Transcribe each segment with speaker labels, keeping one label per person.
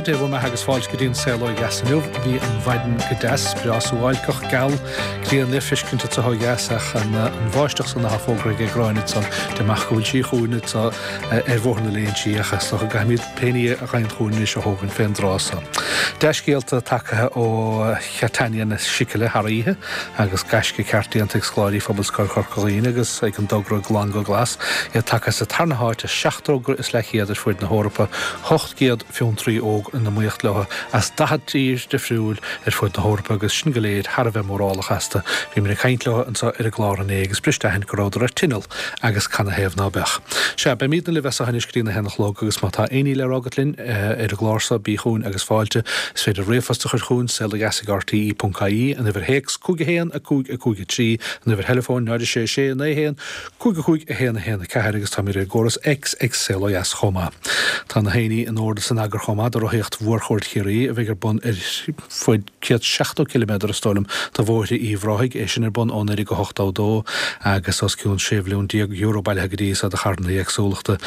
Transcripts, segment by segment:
Speaker 1: Dia bhur mbeatha agus fáilte go dtí an Saol Ó Dheas inniu. Bhí an mhaidin go deas, breá suáilceach, geal, grian le feiscint anso ó dheas ach an bháisteach san atá fógraithe ag Gráinne ansan, deirim amach go bhfuil sí chugainn anso ar bhóthar na Léinsí ach is dócha go gcaithfimid pé ní a thagann chugainn anois a thógaint fén dtráth so. Dea-scéalta tagtha ó Chatania na Sicile thar oíche agus gaisce ceart déanta ag scoláirí Phobalscoil Chorca Dhuibhne agus ag an dtogra Glan go Glas, iad tagtha sa tarna háit as 7 dtogra is leathchéad ar fuaid na hEorpa, 800 fiontraí óg in iomaíocht leo as 40 tír difriúil ar fud na hEorpa agus sin go léir thar a bheith mórálach astu. Bhíomar ag caint leo anseo ar an gclár inné agus bris d'aithint go rabhadar ar tinneall agus canathaobh ná beadh. Sea, beimídne libh as seo anois go dtí na haon a chlog agus má tá aon ní le rá agat linn ar an gclár seo, bí chugainn agus fáilte. Is féidir ríomhphost a chur chugainn, saolodheas@rte ponc ie, an uimhir théacs, 5 1 5 5 3, an uimhir theileafóin, 0 6 6 9 1 5 5 1 1 4 agus táimid ar an gcóras X ag Saol Ó Dheas chomh maith. Tá na haoinní in ord is in eagar chomh maith do Rothaíocht Mhórchuaird Chiarraí a bheidh ar bun ar fuaid 170 ciliméadar is dóigh liom de bhóithre Uíbh Ráthaigh, é sin ar bun ó 1982 agus os cionn €16 mhilliún bailithe go dtí so do charthanna éagsúlachta.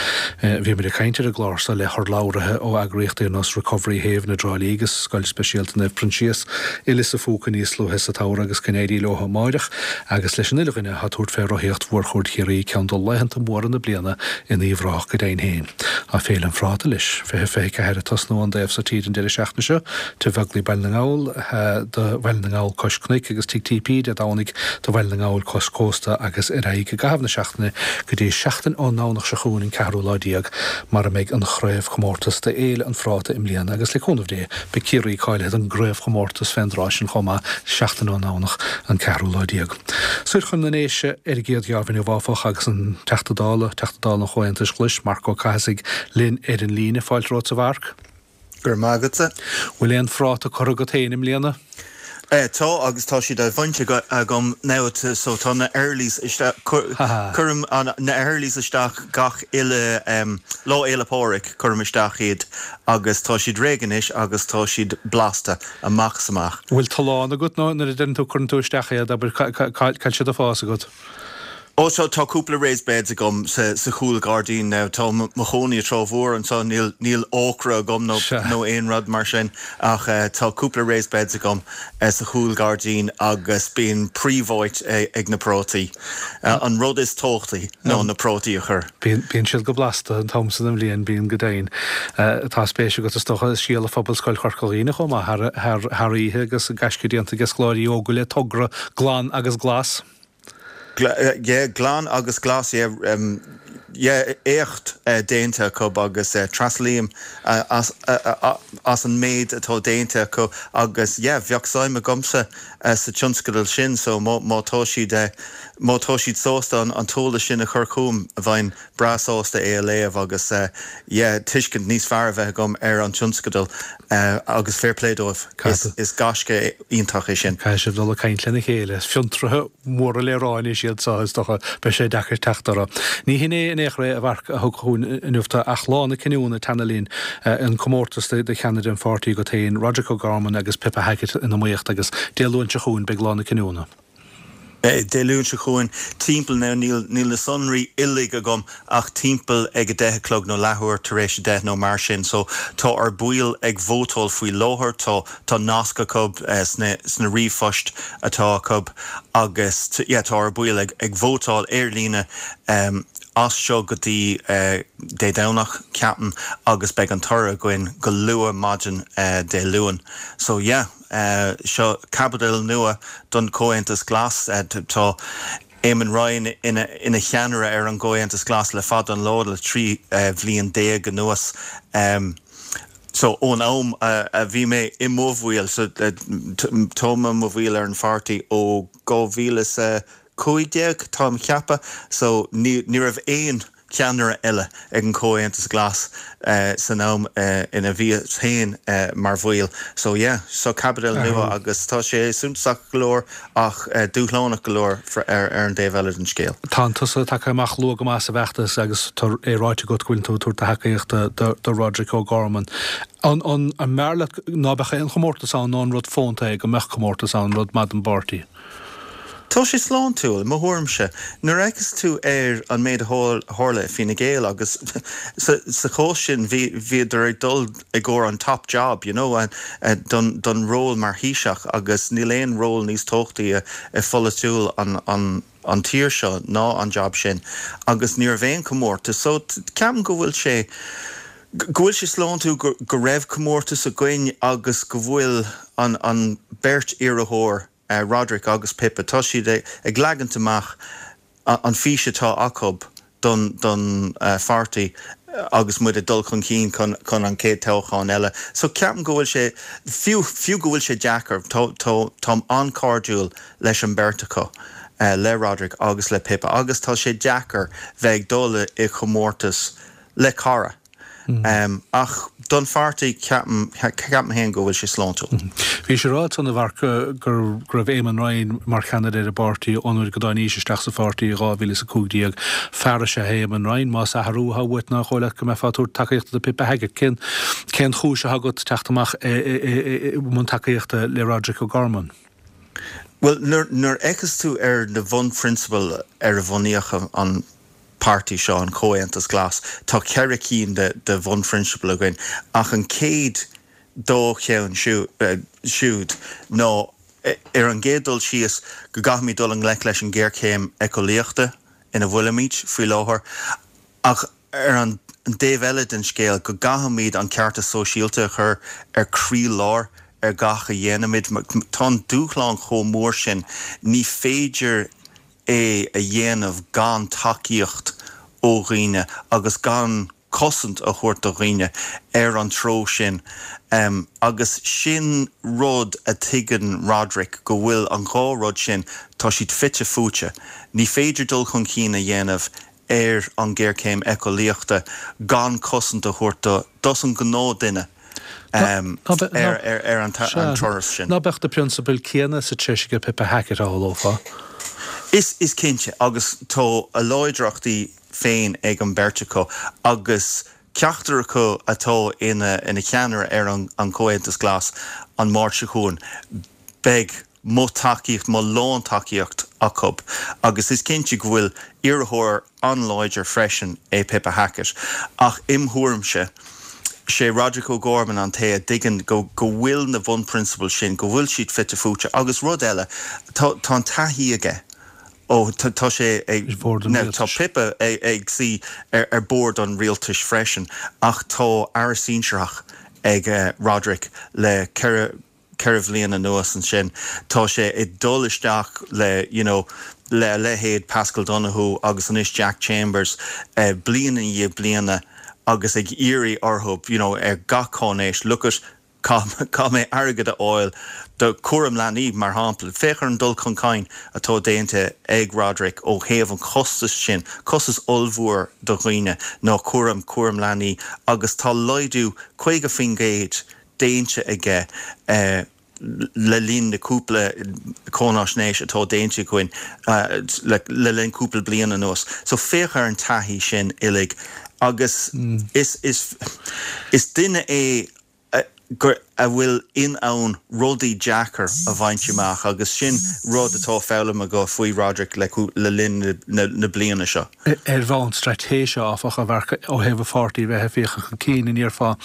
Speaker 1: Bhíomar ag caint ar an gclár so le hurlabhraithe ó eagraíochtaí ar nós Recovery Haven i dTrá Lí agus Scoil Speisialta Naomh Proinsias i Lios a' Phúca níos luaithe sa tsamhradh agus go n-éirí leo amáireach agus leis an uile dhuine atá ag tabhairt fé Rothaíocht Mhórchuaird Chiarraí, ceann de laethanta móra na bliana in Uíbh Ráthach go deimhin féin. Tá Féile an Phráta leis, 2024 ag tosnú ón dtaobh so tíre an deireadh seachtaine seo, Tigh Bheaglaoich Baile na nGall do Bhaile na nGall cois cnoic agus Tigh TP Dé Domhnaigh do Bhaile na nGall cois cósta agus ar aghaidh i gcaitheamh na seachtaine go dtí seachtain ón nDomhnach seo chugainn an ceathrú lá déag mar a mbeidh an chraobhchomórtas d'Fhéile an Phráta i mbliana agus le cúnamh Dé beidh Ciarraí cáilithe don gcraobhchomórtas fén dtráth sin chomh maith seachtain ón nDomhnach an ceathrú lá déag. Soir chun na nDéise ar an gcéad gheábh inniu áfach agus an Teachta Dála, Teachta Dála an Chomhaontais Ghlais, Marc Ó Cathasaigh linn ar an líne. Fáilte romhat a Mharc.
Speaker 2: Go raibh maith agatsa.
Speaker 1: Bhfuil aon phráta curtha agat féin i mbliana?
Speaker 2: Tá agus tá siad á bhaint agam now so tá na earlies isteach, cuirim na earlies isteach gach uile Lá Fhéile Pádraig, cuirim isteach iad agus tá siad réidh anois agus tá siad blasta amach is amach.
Speaker 1: Bhfuil tollán agat nó nuair a deireann tú cuireann tú isteach iad, abair, cá bhfuil siad ag fás agat?
Speaker 2: Ó tá, tá cúpla raised beds agam sa, sa chúl gairdín now. Tá mo chónaí i Trá Mhór anseo, níl, níl ócra agam nó,
Speaker 1: Sea.
Speaker 2: nó aon rud mar sin ach tá cúpla raised beds agam sa chúl gairdín agus bíonn príomháit ag na prátaí. An rud is tábhachtaí ná na prátaí a chur.
Speaker 1: Bíonn, bíonn siad go blasta an t-am san den bhliain, bíonn go deimhin. Tá spéis agat is dócha i scéala Phobalscoil Chorca Dhuibhne chomh maith thar, thar, thar oíche agus gaisce déanta ag scoláirí óga le togra Glan agus Glas.
Speaker 2: Yeah, glan agus glas, yeah, yeah, éacht déanta acu agus tréaslaím as as an méid atá déanta acu agus yeah, bheadh suim agamsa sa tionscadal sin so má má tá siad má tá siad sásta an t-eolas sin a chur chugam bheinn breá sásta é a léamh agus yeah, tuiscint níos fearr a bheith agam ar an tionscadal agus fair play dóibh. Is gaisce iontach é sin.
Speaker 1: Caithfidh sibh dul ag caint lena chéile. Is fiontraithe móra le rá anois iad seo, is dócha. Beidh sé deacair teacht orthu. Ní hin é in aon chor é, a Mharc, a thug chugainn inniu tú ach lá na cinniúna ag teannadh linn, an comórtas do cheannaire an pháirtí agat féin, Roderic O'Gorman agus Pippa Hackett in iomaíocht agus Dé Luain seo chugainn beidh lá na cinniúna.
Speaker 2: Dé Luain seo chugainn, timpeall, now níl, níl na sonraí uilig agam ach timpeall ag 10 a chlog nó leathuair tar éis 10 nó mar sin. So tá ár baill ag vótáil faoi láthair, tá, tá nasc acu sna, sna ríomhphoist atá acu agus yeah tá ár baill ag, ag vótáil ar líne as seo go dtí Dé Domhnach, ceapaim, agus beidh an toradh againn go luath maidin Dé Luain. So yeah. Seo caibidil nua don Chomhaontas Glas. Tá Eamon Ryan ina cheannaire ar an gComhaontas Glas le fada an lá, le 13 bhliain anuas. So ón am a bhí mé i mo bhaill, so táim i mo bhaill ar an pháirtí ó 2015, táim a cheapadh, so ní raibh aon ceannaire eile ag an Chomhaontas Glas san am ina bhíos féin mar bhaill. So yeah, so caibidil nua agus tá sé suntasach go leor ach dúshlánach go leor ar an dtaobh eile den scéal.
Speaker 1: Tá tusa tagtha amach luath go maith sa bhfeachtas agus tá é ráite agat go bhfuil tú ag tabhairt do thacaíochta do Roderic O'Gorman. An mb'fhearr leat ná beadh aon chomórtas ann nó an rud fónta é go mbeadh comórtas ann, rud maith don bpáirtí?
Speaker 2: Tá sé sláintiúil, i mo thuairimse. Nuair a fheiceas tú ar an méid a tharla i Fine Gael agus sa chás sin bhíodar ag dul i gcomhair an top job, you know, don don ról mar Thaoiseach agus níl aon ról níos tábhachtaí i pholaitiúil an an an tír seo ná an job sin agus ní raibh aon comórtas. So ceapaim go bhfuil sé go bhfuil sé sláintiúil go go raibh comórtas againn agus go bhfuil an an beirt iarrthóir Roderick agus Pippa, tá siad ag leagaint amach an fís atá acu don don pháirtí agus muid ag dul chun cinn chun chun an chéad toghchán eile. So ceapaim go bhfuil sé, fiú fiú go bhfuil sé deacair, tá tá táim an-chairdiúil leis an beirt acu, le Roderick agus le Pippa agus tá sé deacair bheith ag dul i chomórtas le cara. Ach don pháirtí, ceapaim, ceapaim féin go bhfuil sé sláintiúil.
Speaker 1: Bhís ag rá ansan, a Mharc, go raibh Eamon Ryan mar cheannaire ar an bpáirtí ón uair go dtáinís isteach sa pháirtí i 2015. Fear is ea é Eamon Ryan. Más athrú atá uait, nár dhóigh leat go mbeifeá ag tabhairt tacaíochta do Pippa Hackett? Cén, cén chúis atá agat teacht amach i mbun tacaíochta le Roderick O'Gorman?
Speaker 2: Bhuel, nuair, nuair a fheiceas tú ar na bhunphrionsabail ar a bhunaíodh an páirtí seo, an Comhaontas Glas, tá 4 cinn de de bhunphrionsabail againn ach an chéad dá cheann siúd ná ar an gcéad dul síos go gcaithfimid dul i ngleic leis an ghéarchéim éiceolaíochta ina bhfuilimid faoi láthair ach ar an dtaobh eile den scéal go gcaithfimid an ceartas sóisialta a chur ar croílár ar gach a dhéanaimid. Tá an dúshlán chomh mór sin, ní féidir é a dhéanamh gan tacaíocht ó dhaoine agus gan cosaint a thabhairt do dhaoine ar an treo sin. Agus sin rud a tuigeann Roderick, go bhfuil an dhá rud sin, tá siad fite fuaite. Ní féidir dul chun cinn a dhéanamh ar an ghéarchéim éiceolaíochta gan cosaint a thabhairt do dos an gnáthdhuine ar an turas sin.
Speaker 1: Ná beadh na prionsabail céanna sa treis aige Pippa Hackett, a shamhlófá?
Speaker 2: Is cinnte, agus tá a láidreachtaí féin ag an beirt acu agus ceachtar acu atá ina cheannaire ar an Chomhaontas Glas an Máirt seo chugainn, beidh mo thacaíocht, mo lántacaíocht acu agus is cinnte go bhfuil iarrthóir an-láidir freisin é Pippa Hackett ach im thuairimse, sé Roderick O'Gorman an té a dtuigeann go go bhfuil na bhunphrionsabail sin, go bhfuil siad fite fuaite agus rud eile, tá tá an taithí aige ó tá tá sé ag,
Speaker 1: Ar bhord an
Speaker 2: now tá
Speaker 1: rialtais.
Speaker 2: Pippa ag ag suí ar ar bord an rialtais freisin ach tá aire sinsearach ag Roderick le 4 4 bhliain anuas ansin tá sé ag dul isteach le you know le a leithéid Paschal Donohoe agus anois Jack Chambers bliain i ndiaidh bliana agus ag iarraidh orthu you know ar gach cáinéis look at caithfidh mé airgead a fháil do chúram leanaí mar shampla. Féach ar an dul chun cinn atá déanta ag Roderick ó thaobh an chostais sin, costas ollmhór do dhaoine ná cúram cúram leanaí agus tá laghdú 50% déanta aige le linn na cúpla cáináisnéis atá déanta againn le linn cúpla bliain anuas. So féach ar an taithí sin uilig agus is is is duine é a bhfuil in ann rudaí deacair a bhaint amach agus sin rud atá foghlamtha agam faoi Roderick le linn na bliana seo.
Speaker 1: Ar bhonn straitéise, áfach, a Mharc, ó thaobh an pháirtí a bheith ag féachaint chun cinn, an ndéarfá,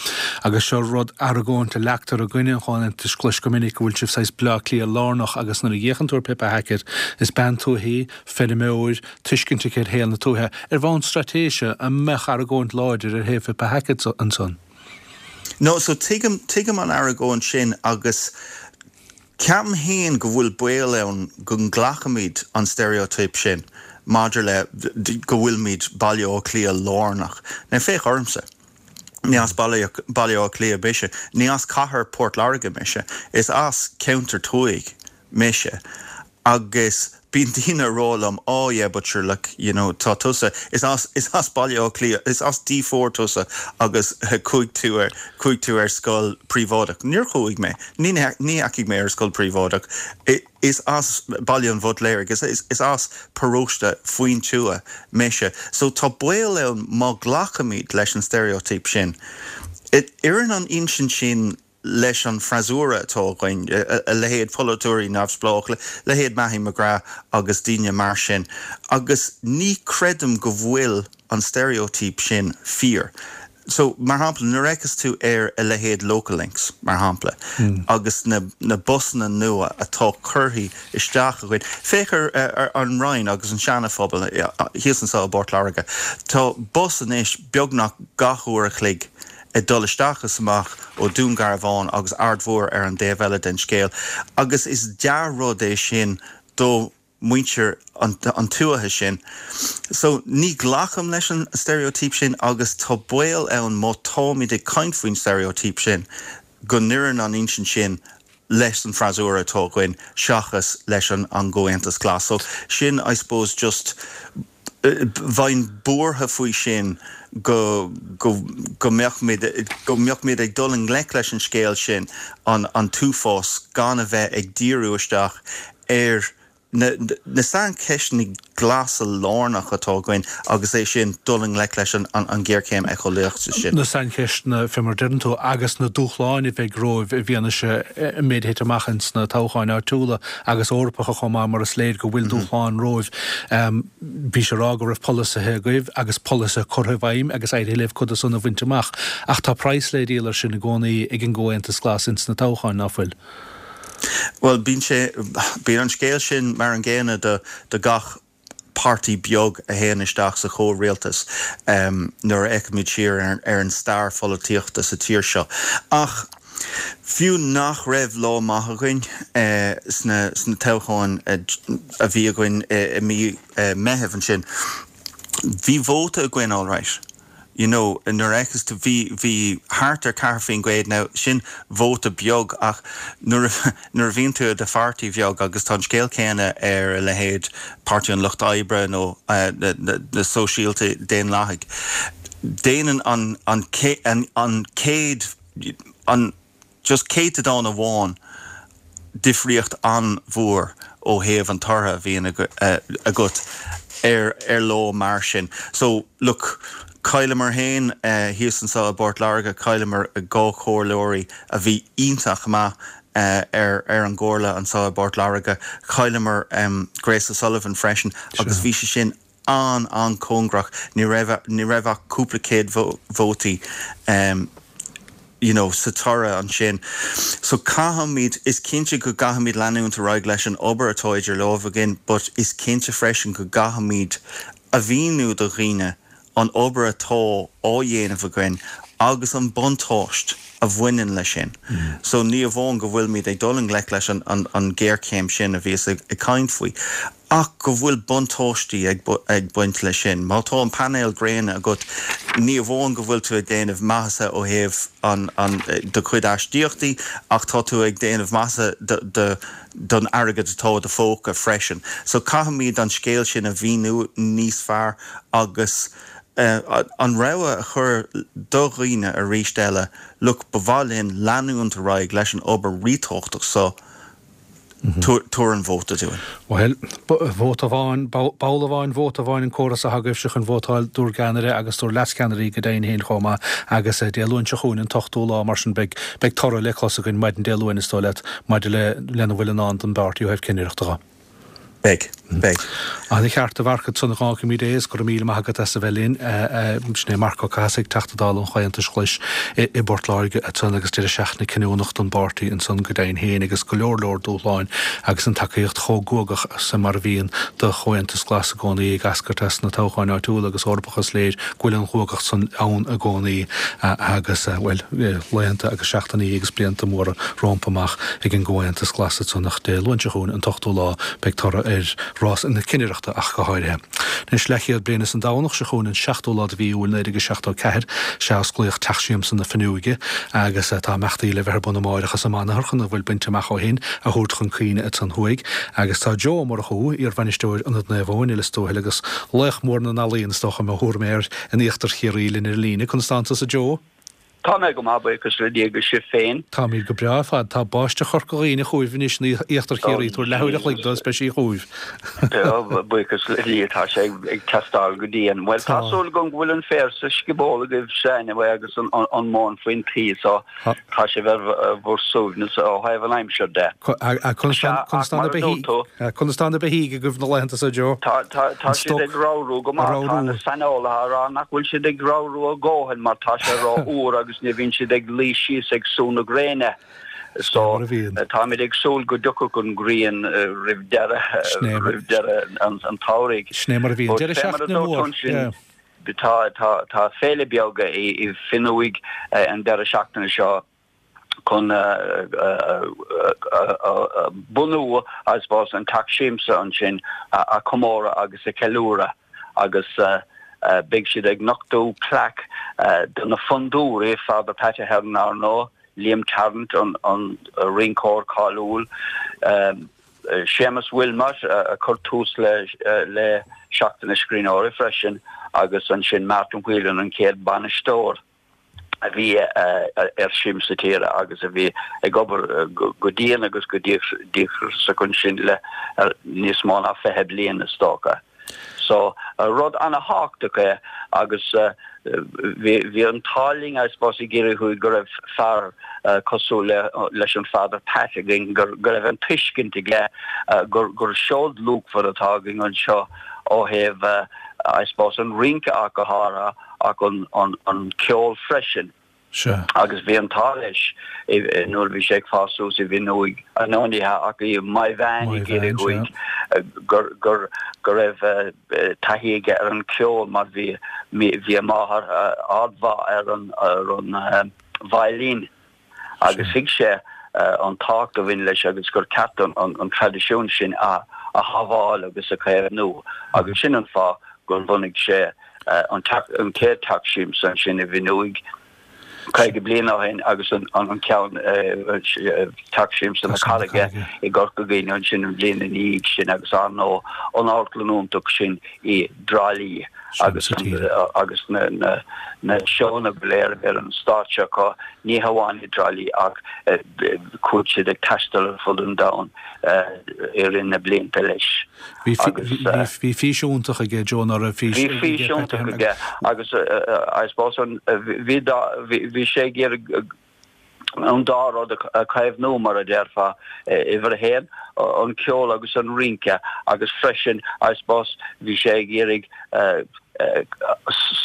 Speaker 1: agus seo rud, argóint a leagtar i gcoinne an Chomhaontais Ghlais go minic, go bhfuil sibh saghas Bleá Cliath lárnach agus nuair a fhéachann tú ar Pippa Hackett, is bean tuaithe í, feirmeoir, tuiscint aici ar shaol na tuaithe. Ar bhonn straitéise, an mbeadh argóint láidir ar thaobh Phippa Hackett ansan?
Speaker 2: No, so tuigim, tuigim an argóint sin agus ceapaim féin go bhfuil baol ann go nglacfaimid an stereotype sin maidir le go bhfuilimid Baile Átha Cliath lárnach. Now féach ormsa. Ní as Baile, Baile Átha Cliath mise, ní as cathair Port Láirge mise, is as ceantar tuaithe mise. Agus bíonn daoine ag rá liom, oh yeah but sure look, you know, tá tusa, is as, is as Baile Átha Cliath, is as D4 tusa agus chuaigh tú ar, chuaigh tú ar scoil príobháideach. Níor chuaigh mé, ní, ní dheachaigh mé ar scoil príobháideach. Is as Baile an Bhutléirigh, is, is as paróiste faoin tuath mise. So tá baol ann má ghlacaimid leis an stereotype sin. Oireann an insint sin. leis an freasúra atá againn, a leithéid polaiteoirí neamhspleách, leithéid Mattie McGrath agus daoine mar sin, agus ní creidim go bhfuil an steiréotíp sin fíor. So, mar shampla, nuair a fhéachas tú ar a leithéid Local Links, mar shampla, agus na na busanna nua atá curtha isteach againn, féach ar ar an Rinn agus an Seana-Phobal thíos anseo i bPort Láirge, tá bus anois beagnach gach uair a chloig ag dul isteach is amach ó Dún Garbhán agus Aird Mhór ar an dtaobh eile den scéal agus is dea-rud é sin do muintir an tuaithe sin. So ní ghlacaim leis an steiréotíp sin agus tá baol ann má táimid ag caint faoin steiréotíp sin go n-oireann an insint sin leis an freasúra atá againn seachas leis an gComhaontas Glas. So sin I suppose just bheinn buartha faoi sin go go go mbeadh muid go mbeadh muid ag dul i ngleic leis an scéal sin an an t-uafás gan a bheith ag díriú isteach ar na na saincheisteanna glasa lárnach atá againn agus é sin dul i ngleic leis an an ghéarchéim éiceolaíochta sin.
Speaker 1: Na saincheisteanna, fé mar a deireann tú, agus na dúshláin a bheidh romhaibh i bhfianaise an méid a thit amach ins na toghcháin áitiúla agus Eorpacha chomh maith mar is léir go bhfuil dúshláin romhaibh. Bhís ag rá go raibh polasaithe agaibh agus polasaithe curtha i bhfeidhm agus éirithe libh coda san a bhaint amach ach tá praghas le díol ar sin i gcónaí ag an gComhaontas Glas ins na toghcháin, ná fuil?
Speaker 2: Bhuel, bíonn sé, bíonn an scéal sin mar an gcéanna do, do gach páirtí beag a théann isteach sa chomhrialtas nuair a fhéachaimid siar ar, ar an stair pholaitíochta sa tír seo. Ach fiú nach raibh lá maith againn sna, sna toghcháin a bhí againn i mí Meithimh ansin, bhí vóta againn alright. you know nuair a fhéachas tú bhí bhí thart ar 4% now sin vóta beag ach nuair a nuair a bhíonn tú i do pháirtí bheag agus tá an scéal céanna ar a leithéid Páirtí an Lucht Oibre nó na na na Sóisialtaigh Daonlathaigh déanann an an an an céad an just céatadán amháin difríocht an-mhór ó thaobh an tortha a bhíonn agat ar ar lá mar sin. So, look, chailleamar féin thíos anseo i bPort Láirge, chailleamar 2 chomhairleoirí a bhí iontach maith ar ar an gcomhairle anseo i bPort Láirge. Chailleamar Grace O'Sullivan freisin agus bhí sé sin an-an-cóngarach. Ní raibh, ní raibh ach cúpla céad vótaí you know sa toradh ansin. So caithfimid, is cinnte go gcaithfimid leanúint ar aghaidh leis an obair atá idir lámha againn but is cinnte freisin go gcaithfimid a mhíniú do dhaoine an obair atá á dhéanamh againn agus an buntáiste a bhaineann leis sin. So ní amháin go bhfuilimid ag dul i ngleic leis an an ghéarchéim sin a bhíos ag caint faoi, ach go bhfuil buntáistí ag baint leis sin. Má tá an painéal gréine agat, ní amháin go bhfuil tú ag déanamh maitheasa ó thaobh an, an, do chuid aistíochtaí, ach tá tú ag déanamh maitheasa do, do, don airgead atá i do phóca freisin. So caithfimid an scéal sin a mhíniú níos fearr agus an rogha a chur do dhaoine arís eile, look, ba mhaith linn leanúint ar aghaidh leis an obair ríthábhachtach so, Tabhair an vóta dúinn.
Speaker 1: Bhuel, vóta amháin, ball amháin, vóta amháin an córas atá agaibhse chun vótáil dúr gceannaire agus dúr leascheannairí go deimhin féin chomh maith agus Dé Luain seo chugainn an t-ochtú lá mar sin beidh beidh toradh le clos againn maidin Dé Luain is dóigh leat maidir le lena bhfuil i ndán don bpáirtí ó thaobh cinnireachta dho.
Speaker 2: Beidh. Beidh.
Speaker 1: Ana cheart a Mharc ansan a dh'fhágfaimid é is go raibh míle maith agat as a bheith linn. Sin é Marc Ó Cathasaigh, Teachta Dála an Chomhaontais Ghlais i bPort Láirge ansan agus deireadh seachtaine cinniúnach don bpáirtí ansan go deimhin féin agus go leor leor dúshláin agus an tacaíocht chomh guagach san mar a bhíonn do Chomhaontas Glas i gcónaí ag eascairt as na toghcháin áitiúla agus Eorpacha is léir go bhfuil an ghuagacht san ann i gcónaí agus, bhuel, laethanta agus seachtainí agus blianta móra rompu amach ag an gComhaontas Glas ansan ach Dé Luain seo chugainn, an t-ochtú lá, beidh toradh ar rás na cinnireachta ach go háirithe. Anois, leathchéad bliain is an Domhnach seo chugainn, an seachtú lá de mhí Iúil 1974, sea osclaíodh Teach Siamsa na Fuinneoige agus tá imeachtaí le bheith ar bun amáireach as an mbanathair chun a bhfuil bainte amach ó shin a thabhairt chun cuimhne ansan thuaidh. Agus tá Joe Ó Murchú, iarbhainisteoir Ionad Naomh Eoin i Lios Tuathail agus laoch mór na n-ealaíon is dócha mo thuairim air in íochtar Chiarraí linn ar an líne. Conas tánn tusa Joe?
Speaker 3: Tá mé go maith, buíochas le Dia, agus sibh féin?
Speaker 1: Táimid go breá ar fad. Tá báisteach Chorca Dhuibhne chugaibh anois in íochtar Chiarraí. Tabhair leathuair a chloig dó is beidh sí chugaibh.
Speaker 3: Buíochas le Dia, tá sé ag teastáil go dian. Bhuel, tá súil agam go bhfuil an féar sa scioból agaibhse anyway agus an mhóin faoin tuí so tá sibh ar bhur suaimhneas ó thaobh an aimsir de.
Speaker 1: Conas tá na beithígh agaibh na laethanta seo, Joe?
Speaker 3: Tá siad ag ramhrú go maith. Tá na saineolaithe á rá nach bhfuil siad ag ramhrú a ndóthain mar tá sé ró-fhuar agus ní bhíonn siad ag luí síos ag sú na gréine. So táimid ag súil go dtiocfadh an ghrian roimh deireadh roimh deireadh an tsamhraidh.
Speaker 1: Sin é mar a bhíonn. Deireadh seachtaine mór.
Speaker 3: Tá tá féile beag i bhFionnúig an deireadh seachtaine seo. chun bunú, I suppose, an Teach Siamsa ansin a chomóradh agus a cheiliúradh agus beidh siad ag nochtadh plaic do na fondúirí, Father Pat Ahern, ar ndóigh, Liam Tarrant, an rinceoir cáiliúil, Séamus Wilmot a chuir tús le Seachtain na Scríbhneoirí freisin agus ansin Martin Whelan, an chéad bhainisteoir. a bhí ar Siamsa Tíre agus a bhí ag obair go dian agus go díograiseach ansin le níos mó ná 20 bliain is dócha. So, rud ana-thábhachtach é agus bhí an t-ádh linn, I suppose, i gCiarraí Thuaidh go raibh fear cosúil leis an Father Pat againn, go raibh an tuiscint aige gur seod luachmhar atá againn anseo ó thaobh, I suppose, an rince ach go háirithe. ach an ceol freisin.
Speaker 1: Sea.
Speaker 3: Agus bhí an t-ádh leis nuair a bhí sé ag fás suas i bhFionnúig, nó ní hea ach i Maigh Mheáin i gCiarraí Thuaidh, gur, gur, go raibh taithí aige ar an cheol mar bhí, bhí a mháthair ardmhaith ar an, ar an veidhlín. Agus thuig sé an tábhacht a bhain leis agus gur ceart an traidisiún sin a shábháil agus a chaomhnú. Agus sin an fáth gur bhunaigh sé an chéad teach siamsa ansin i bhFionnúig 50 bliain ó shin agus an ceann, Teach Siamsa na Carraige i gCorca Dhuibhne ansin an bhliain ina dhiaidh sin agus ar ndóigh an amharclann iontach sin i dTrá Lí agus agus na na seónna go léir a bhí ar an stáitse acu, ní hamháin i dTrá Lí ach chuaigh siad ag taisteal ar fud an domhain i rith na blianta leis.
Speaker 1: Bhí fís iontach aige, Joe, ná raibh
Speaker 3: fís Bhí fís iontach aige agus I suppose bhí bhí sé ag iarraidh an dá rud a chaomhnú, mar a déarfá, uimhir a haon, an ceol agus an rince agus freisin, I suppose, bhí sé ag iarraidh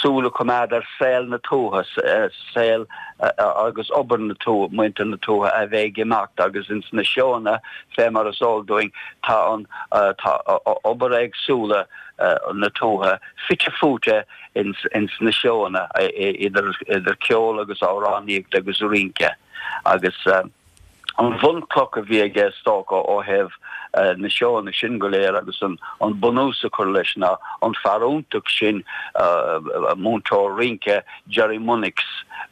Speaker 3: súil a choimeád ar saol na tuaithe, saol agus obair na tuaithe, muintir na tuaithe a bheith ag imeacht agus ins na seónna, fé mar is eol dúinn, tá an, tá obair éagsúla na tuaithe fite fuaite ins na seónna, idir ceol agus amhránaíocht agus rince agus an bhunchloch a bhí aige is dócha ó thaobh na seónna sin go léir agus an bunús a chur leis ná an fear iontach sin, múinteoir rince Gerry Munnix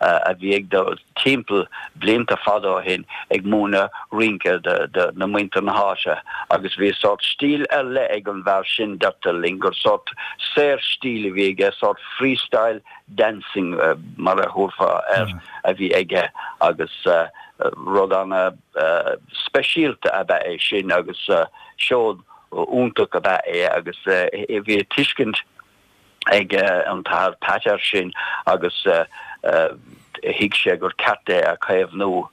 Speaker 3: a bhí ag dul timpeall blianta fada ó shin ag múineadh rince do na muintir na háite agus bhí sórt stíl ar leith ag an bhfear sin, deirtear linn gur sórt saorstíl a bhí aige, sórt freestyle dancing mar a thabharfá air a bhí aige agus rud ana speisialta ab ea é sin agus seod iontach ab ea é agus bhí tuiscint ag an tAthair Pat air sin agus thuig sé gur ceart é a chaomhnú.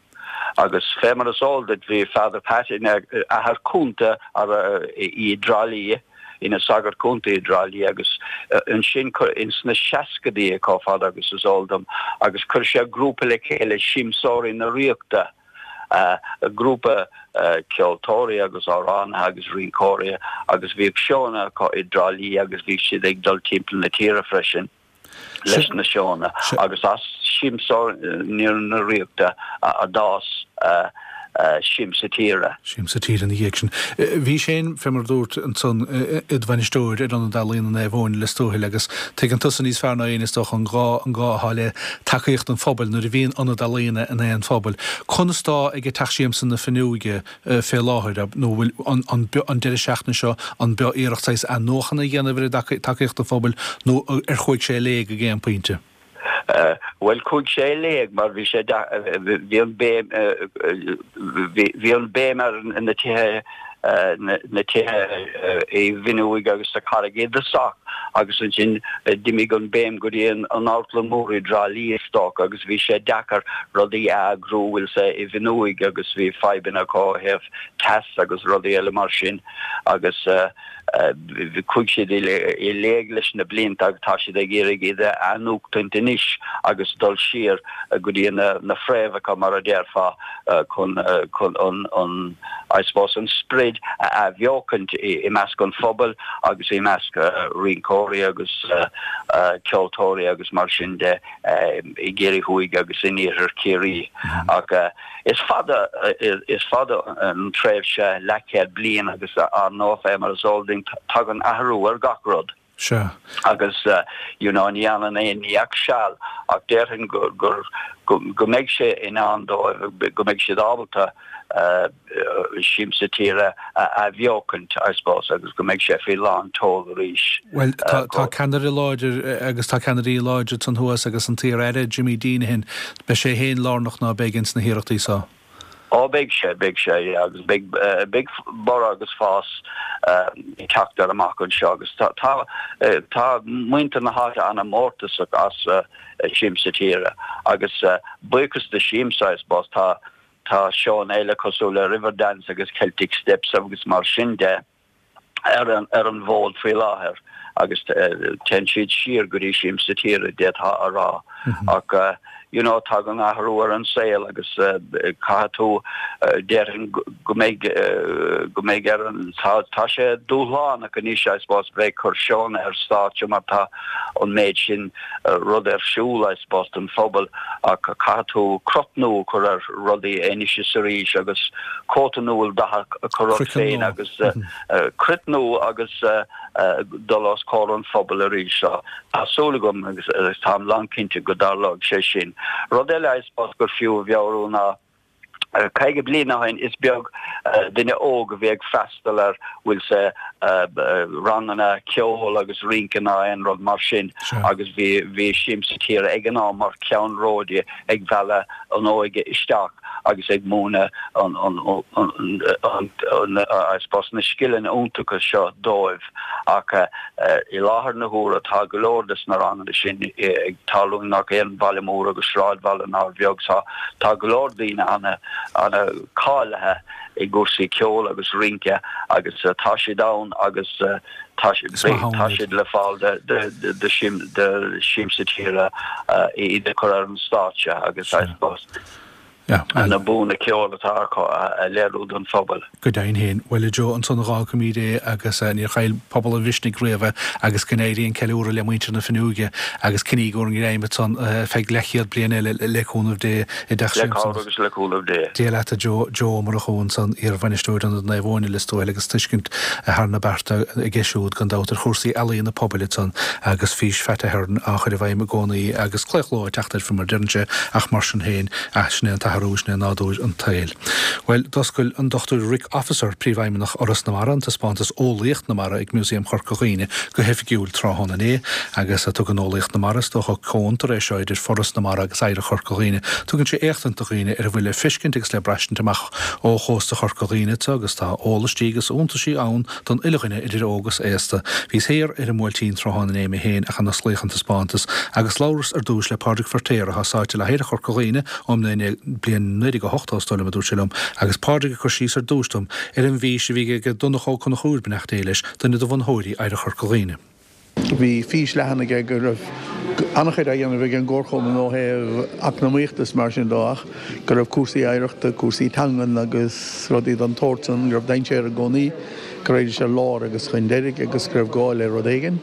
Speaker 3: Agus fé mar is eol duit bhí Father Pat ina athair cúnta i dTrá Lí, ina sagart cúnta i dTrá Lí agus ansin ins na seascadaí chomh fada agus is eol dom agus chuir sé grúpa le chéile Siamsóirí na Ríochta. grúpa ceoltóirí agus amhránaithe agus rinceoirí agus bhíodh seónna acu i dTrá Lí agus bhí siad ag dul timpeall na tíre freisin leis na seónna agus as Siamsóirí na Ríochta a d'fhás
Speaker 1: Siamsa Tíre. Siamsa Tíre ina dhiaidh sin. Bhís féin, fé mar a dúirt ansan, id bhainisteoir ar Ionad Ealaíona Naomh Eoin i Lios Tuathail agus tuigeann tusa níos fearr ná éinne is dócha an gá an gá atá le tacaíocht an phobail nuair a bhíonn ionad ealaíona in aon phobal. Conas tá ag Teach Siamsa na Fionnuaige fé láthair, nó bhfuil an an deireadh seachtaine seo an beo iarracht saghas athnuachana a dhéanamh ar tacaíocht an phobail nó ar chuaigh sé i léig ag aon pointe?
Speaker 3: Bhuel, chuaigh sé i léig mar bhí sé, bhí an béim, bhí an béim ar na tithe, na tithe i bhFionnúig agus sa Charraig i dtosach agus ansin d'imigh an béim go dtí an Amharclann Mhór i dTrá Lí is dócha agus bhí sé deacair rudaí a eagrú bhfuil 's i bhFionnúig agus bhí fadhbanna acu ó thaobh teas agus rudaí eile mar sin agus Chuaigh siad i léig leis na blianta agus tá siad ag iarraidh iad a athnuachtaint anois agus dul siar go dtí na fréamhacha, mar a déarfá, chun an, I suppose, an sprid a athbheochaint i measc an phobail agus i measc rinceoirí agus ceoltóirí agus mar sin de i gCiarraí Thuaidh agus in iarthar Chiarraí. Ach. Is fada, is fada an tréimhse leathchéad bliain agus ar ndóigh fé mar is eol dúinn tagann athrú ar gach rud.
Speaker 1: Sea.
Speaker 3: Agus you know ní fhanann aon ní ach seal ach déarfainn gur, gur, go mbeidh sé in ann dóibh, go mbeidh siad ábalta Siamsa Tíre a athbheochaint I suppose agus go mbeidh sé faoi lán tseoil arís.
Speaker 1: Bhuel tá, tá ceannaire láidir agus tá ceannairí láidre ansan thuas agus an t-iar-aire Jimmy Deenihan Beidh sé fhéin lárnach ná beidh ins na hiarrachtaí so.
Speaker 3: Ó beidh sé, beidh sé, yeah, agus beidh, beidh borradh agus fás ag teacht air amach anseo agus tá, tá, tá muintir na háite ana-mhórtasach as Siamsa Tíre agus buíochas do Siamsa, I suppose, tá, tá seónna eile cosúil le Riverdance agus Celtic Steps agus mar sin de. ar an ar an bhfód faoi láthair agus téann siad siar go dtí Siamsa Tíre d'fhéadfá a rá ach you know tagann athrú ar an saol agus caithfidh tú déarfainn go mbeidh go mbeidh ar an tá tá sé dúshlánach anois I suppose bheith ag cur seónna ar stáitse mar tá an méid sin rud ar siúl I suppose don phobal ach caithfidh tú crot nua a chur ar rudaí anois is arís agus cóta nua dathach a chur ort féin agus cruit nua agus dul os comhair an phobail arís. So tá súil agam agus táim lánchinnte go dtarlóidh sé sin. Rud eile I suppose gur fiú a mheabhrú ná 50 bliain ó shin is beag duine óg a bhí ag freastal ar bhfuil 's ranganna ceoil agus rince ná aon rud mar sin agus bhí bhí Siamsa Tíre ag an am mar cheannródaí ag mealladh an óige isteach agus ag múineadh an an I suppose na scileanna iontacha seo dóibh ach i láthair na huaire tá go leor des na ranganna sin ag tarlú i ngach aon bhaile mór agus sráidbhaile nár bheag so tá go leor daoine ana ana cáilithe i gcúrsaí ceoil agus rince agus tá siad ann agus tá tá siad le fáil de de de de Siamsa Tíre iad a chur ar an stáitse agus I suppose na buanna ceoil atá acu a léiriú don phobal.
Speaker 1: Go deimhin féin. Bhuel, a Joe, ansan a dh'fhágfaimíd é agus níor chaill pobal an mhisnigh riamh é agus go n-éirí an ceiliúradh le muintir na Fionnuaighe agus coinnígí bhur ngreim ansan feadh leathchéad bliain eile le cúnamh Dé i dteach
Speaker 3: Le cabhair agus le cúnamh Dé.
Speaker 1: Dia leat a Joe, Joe Ó Murchú ansan, iar-bhainisteoir Ionad Naomh Eoin i Lios Tuathail agus tuiscint thar na bearta aige siúd gan dabht ar chúrsaí ealaíona pobail ansan agus fís Phat Ahern á chur i bhfeidhm i gcónaí agus claochló ag teacht air faoi mar a deireann sé ach mar sin féin ah sin é an t-athrú, sin é nádúr an tsaoil. Bhuel, d'oscail an Dr Rick Officer, Príomhfheidhmeannach Fhoras na Mara, an taispeántas Eolaíocht na Mara ag Músaem Chorca Dhuibhne go hoifigiúil tráthnóna inné agus tugann Eolaíocht na Mara, is dócha, comhfhiontar é seo idir Foras na Mara agus Oidhreacht Chorca Dhuibhne, tugann sé éachtaint do dhaoine ar a bhfuil le feiscint agus le braistint amach ó chósta Chorca Dhuibhne agus tá eolas agus iontaisí ann don uile dhuine idir óg is aosta. Bhíos thiar ar an mBuailtín tráthnóna inné mé féin ach an osclaíodh an taispeántas agus labhras ar dtúis le Pádraig Feirtéar atá sáite le hOidhreacht Chorca Dhuibhne ón mbliain 1980 is dóigh liom a dúirt sé liom agus Pádraig ag cur síos ar dtúis dom ar an bhfís a bhí ag Donncha Ó Conchúir, beannacht Dé leis, duine de bhunaitheoirí Oidhreacht Chorca Dhuibhne.
Speaker 4: Bhí fís leathan aige go raibh an-chuid á dhéanamh ag an gComharchumann ó thaobh eacnamaíochta is mar sin de ach go raibh cúrsaí oidhreachta, cúrsaí teangan agus rudaí den tsórt san, go raibh dainséar i gcónaí go raghaidís ar lár agus chun deiridh agus go raibh gá le rud éigin.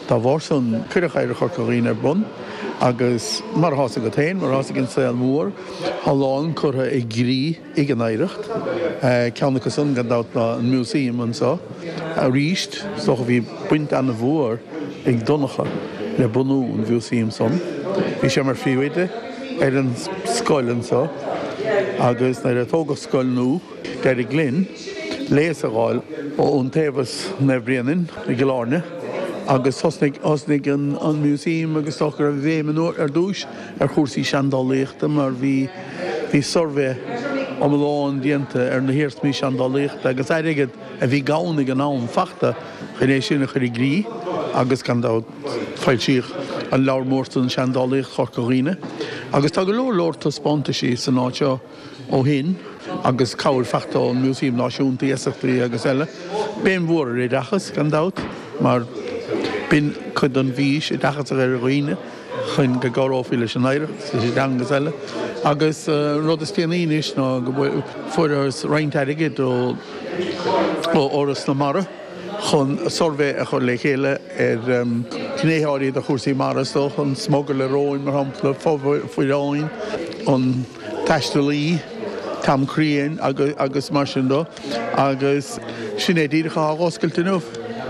Speaker 4: Dá bharr san, cuireadh Oidhreacht Chorca Dhuibhne ar bun agus mar atá 's agat féin, mar atá 's ag an saol mór, tá a lán curtha i gcrích. ag an Oidhreacht. Ceann acu san, gan dabht, ná an Músaem anseo. Arís, is dócha bhí baint ana-mhór ag Donncha le bunú an Mhúsaeim san. Bhí sé mar phríomhoide ar an scoil anseo agus nuair a tógadh scoil nua, d'éirigh linn léas a dh'fháil ó Iontaobhas Naomh Bréanainn i gCill Airne. Agus thosnaigh, thosnaigh an, an Museum agus is dócha go raibh béim an uair, ar dtúis ar chúrsaí seandálaíochta mar bhí, bhí suirbhé iomlán déanta ar na hiarsmaí seandálaíochta agus airgead a bhí gann ag an am fachta chun é sin a chur i gcrích agus gan dabht foilsíodh an leabhar mór san Seandálaíocht Chorca Dhuibhne agus tá go leor leor taispeántaisí san áit seo ó shin agus cabhair fachta ón Músaem Náisiúnta, iasachtaí agus eile. Béim mhór ar oideachas gan dabht mar b'in cuid den bhfís, oideachas a chur ar dhaoine chun go gcabhrófaí leis an oidhreacht, leis an dteanga agus eile. Agus an rud is déanaí anois ná go bhfuarthas roinnt airgid ó Fhoras na Mara chun suirbhé a chur le chéile ar ghnéithe áirithe de chúrsaí mara, is dócha, an smugairle róin, mar shampla, fomhuireáin, an taistealaí, Tom Crean agus mar sin de. Agus sin é díreach atá á oscailt inniu.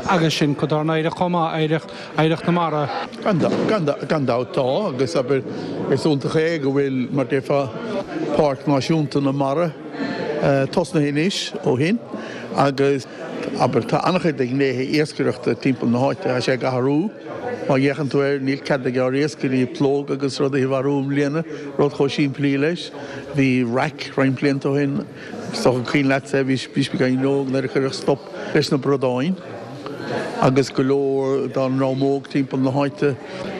Speaker 1: Agus sin cuid dár n-oidhreacht chomh maith, oidhreacht na mara.
Speaker 4: Gan dabht tá, agus abair, is iontach é go bhfuil, mar déarfá, Páirc Náisiúnta na Mara tosnaithe anois ó shin agus, abair, tá an-chuid de ghnéithe iascaireachta timpeall na háite, tá sé ag athrú. Má fhéachann tú air, níl cead ag ár iascairí plóg agus rudaí a mharú i mbliana, rud chomh simplí leis. Bhí raic roinnt blianta ó shin, is dócha cuimhin leatsa é, bhí bhís beagáinín óg nuair a cuireadh stop leis na bradáin agus go leor dár ndream óg timpeall na háite,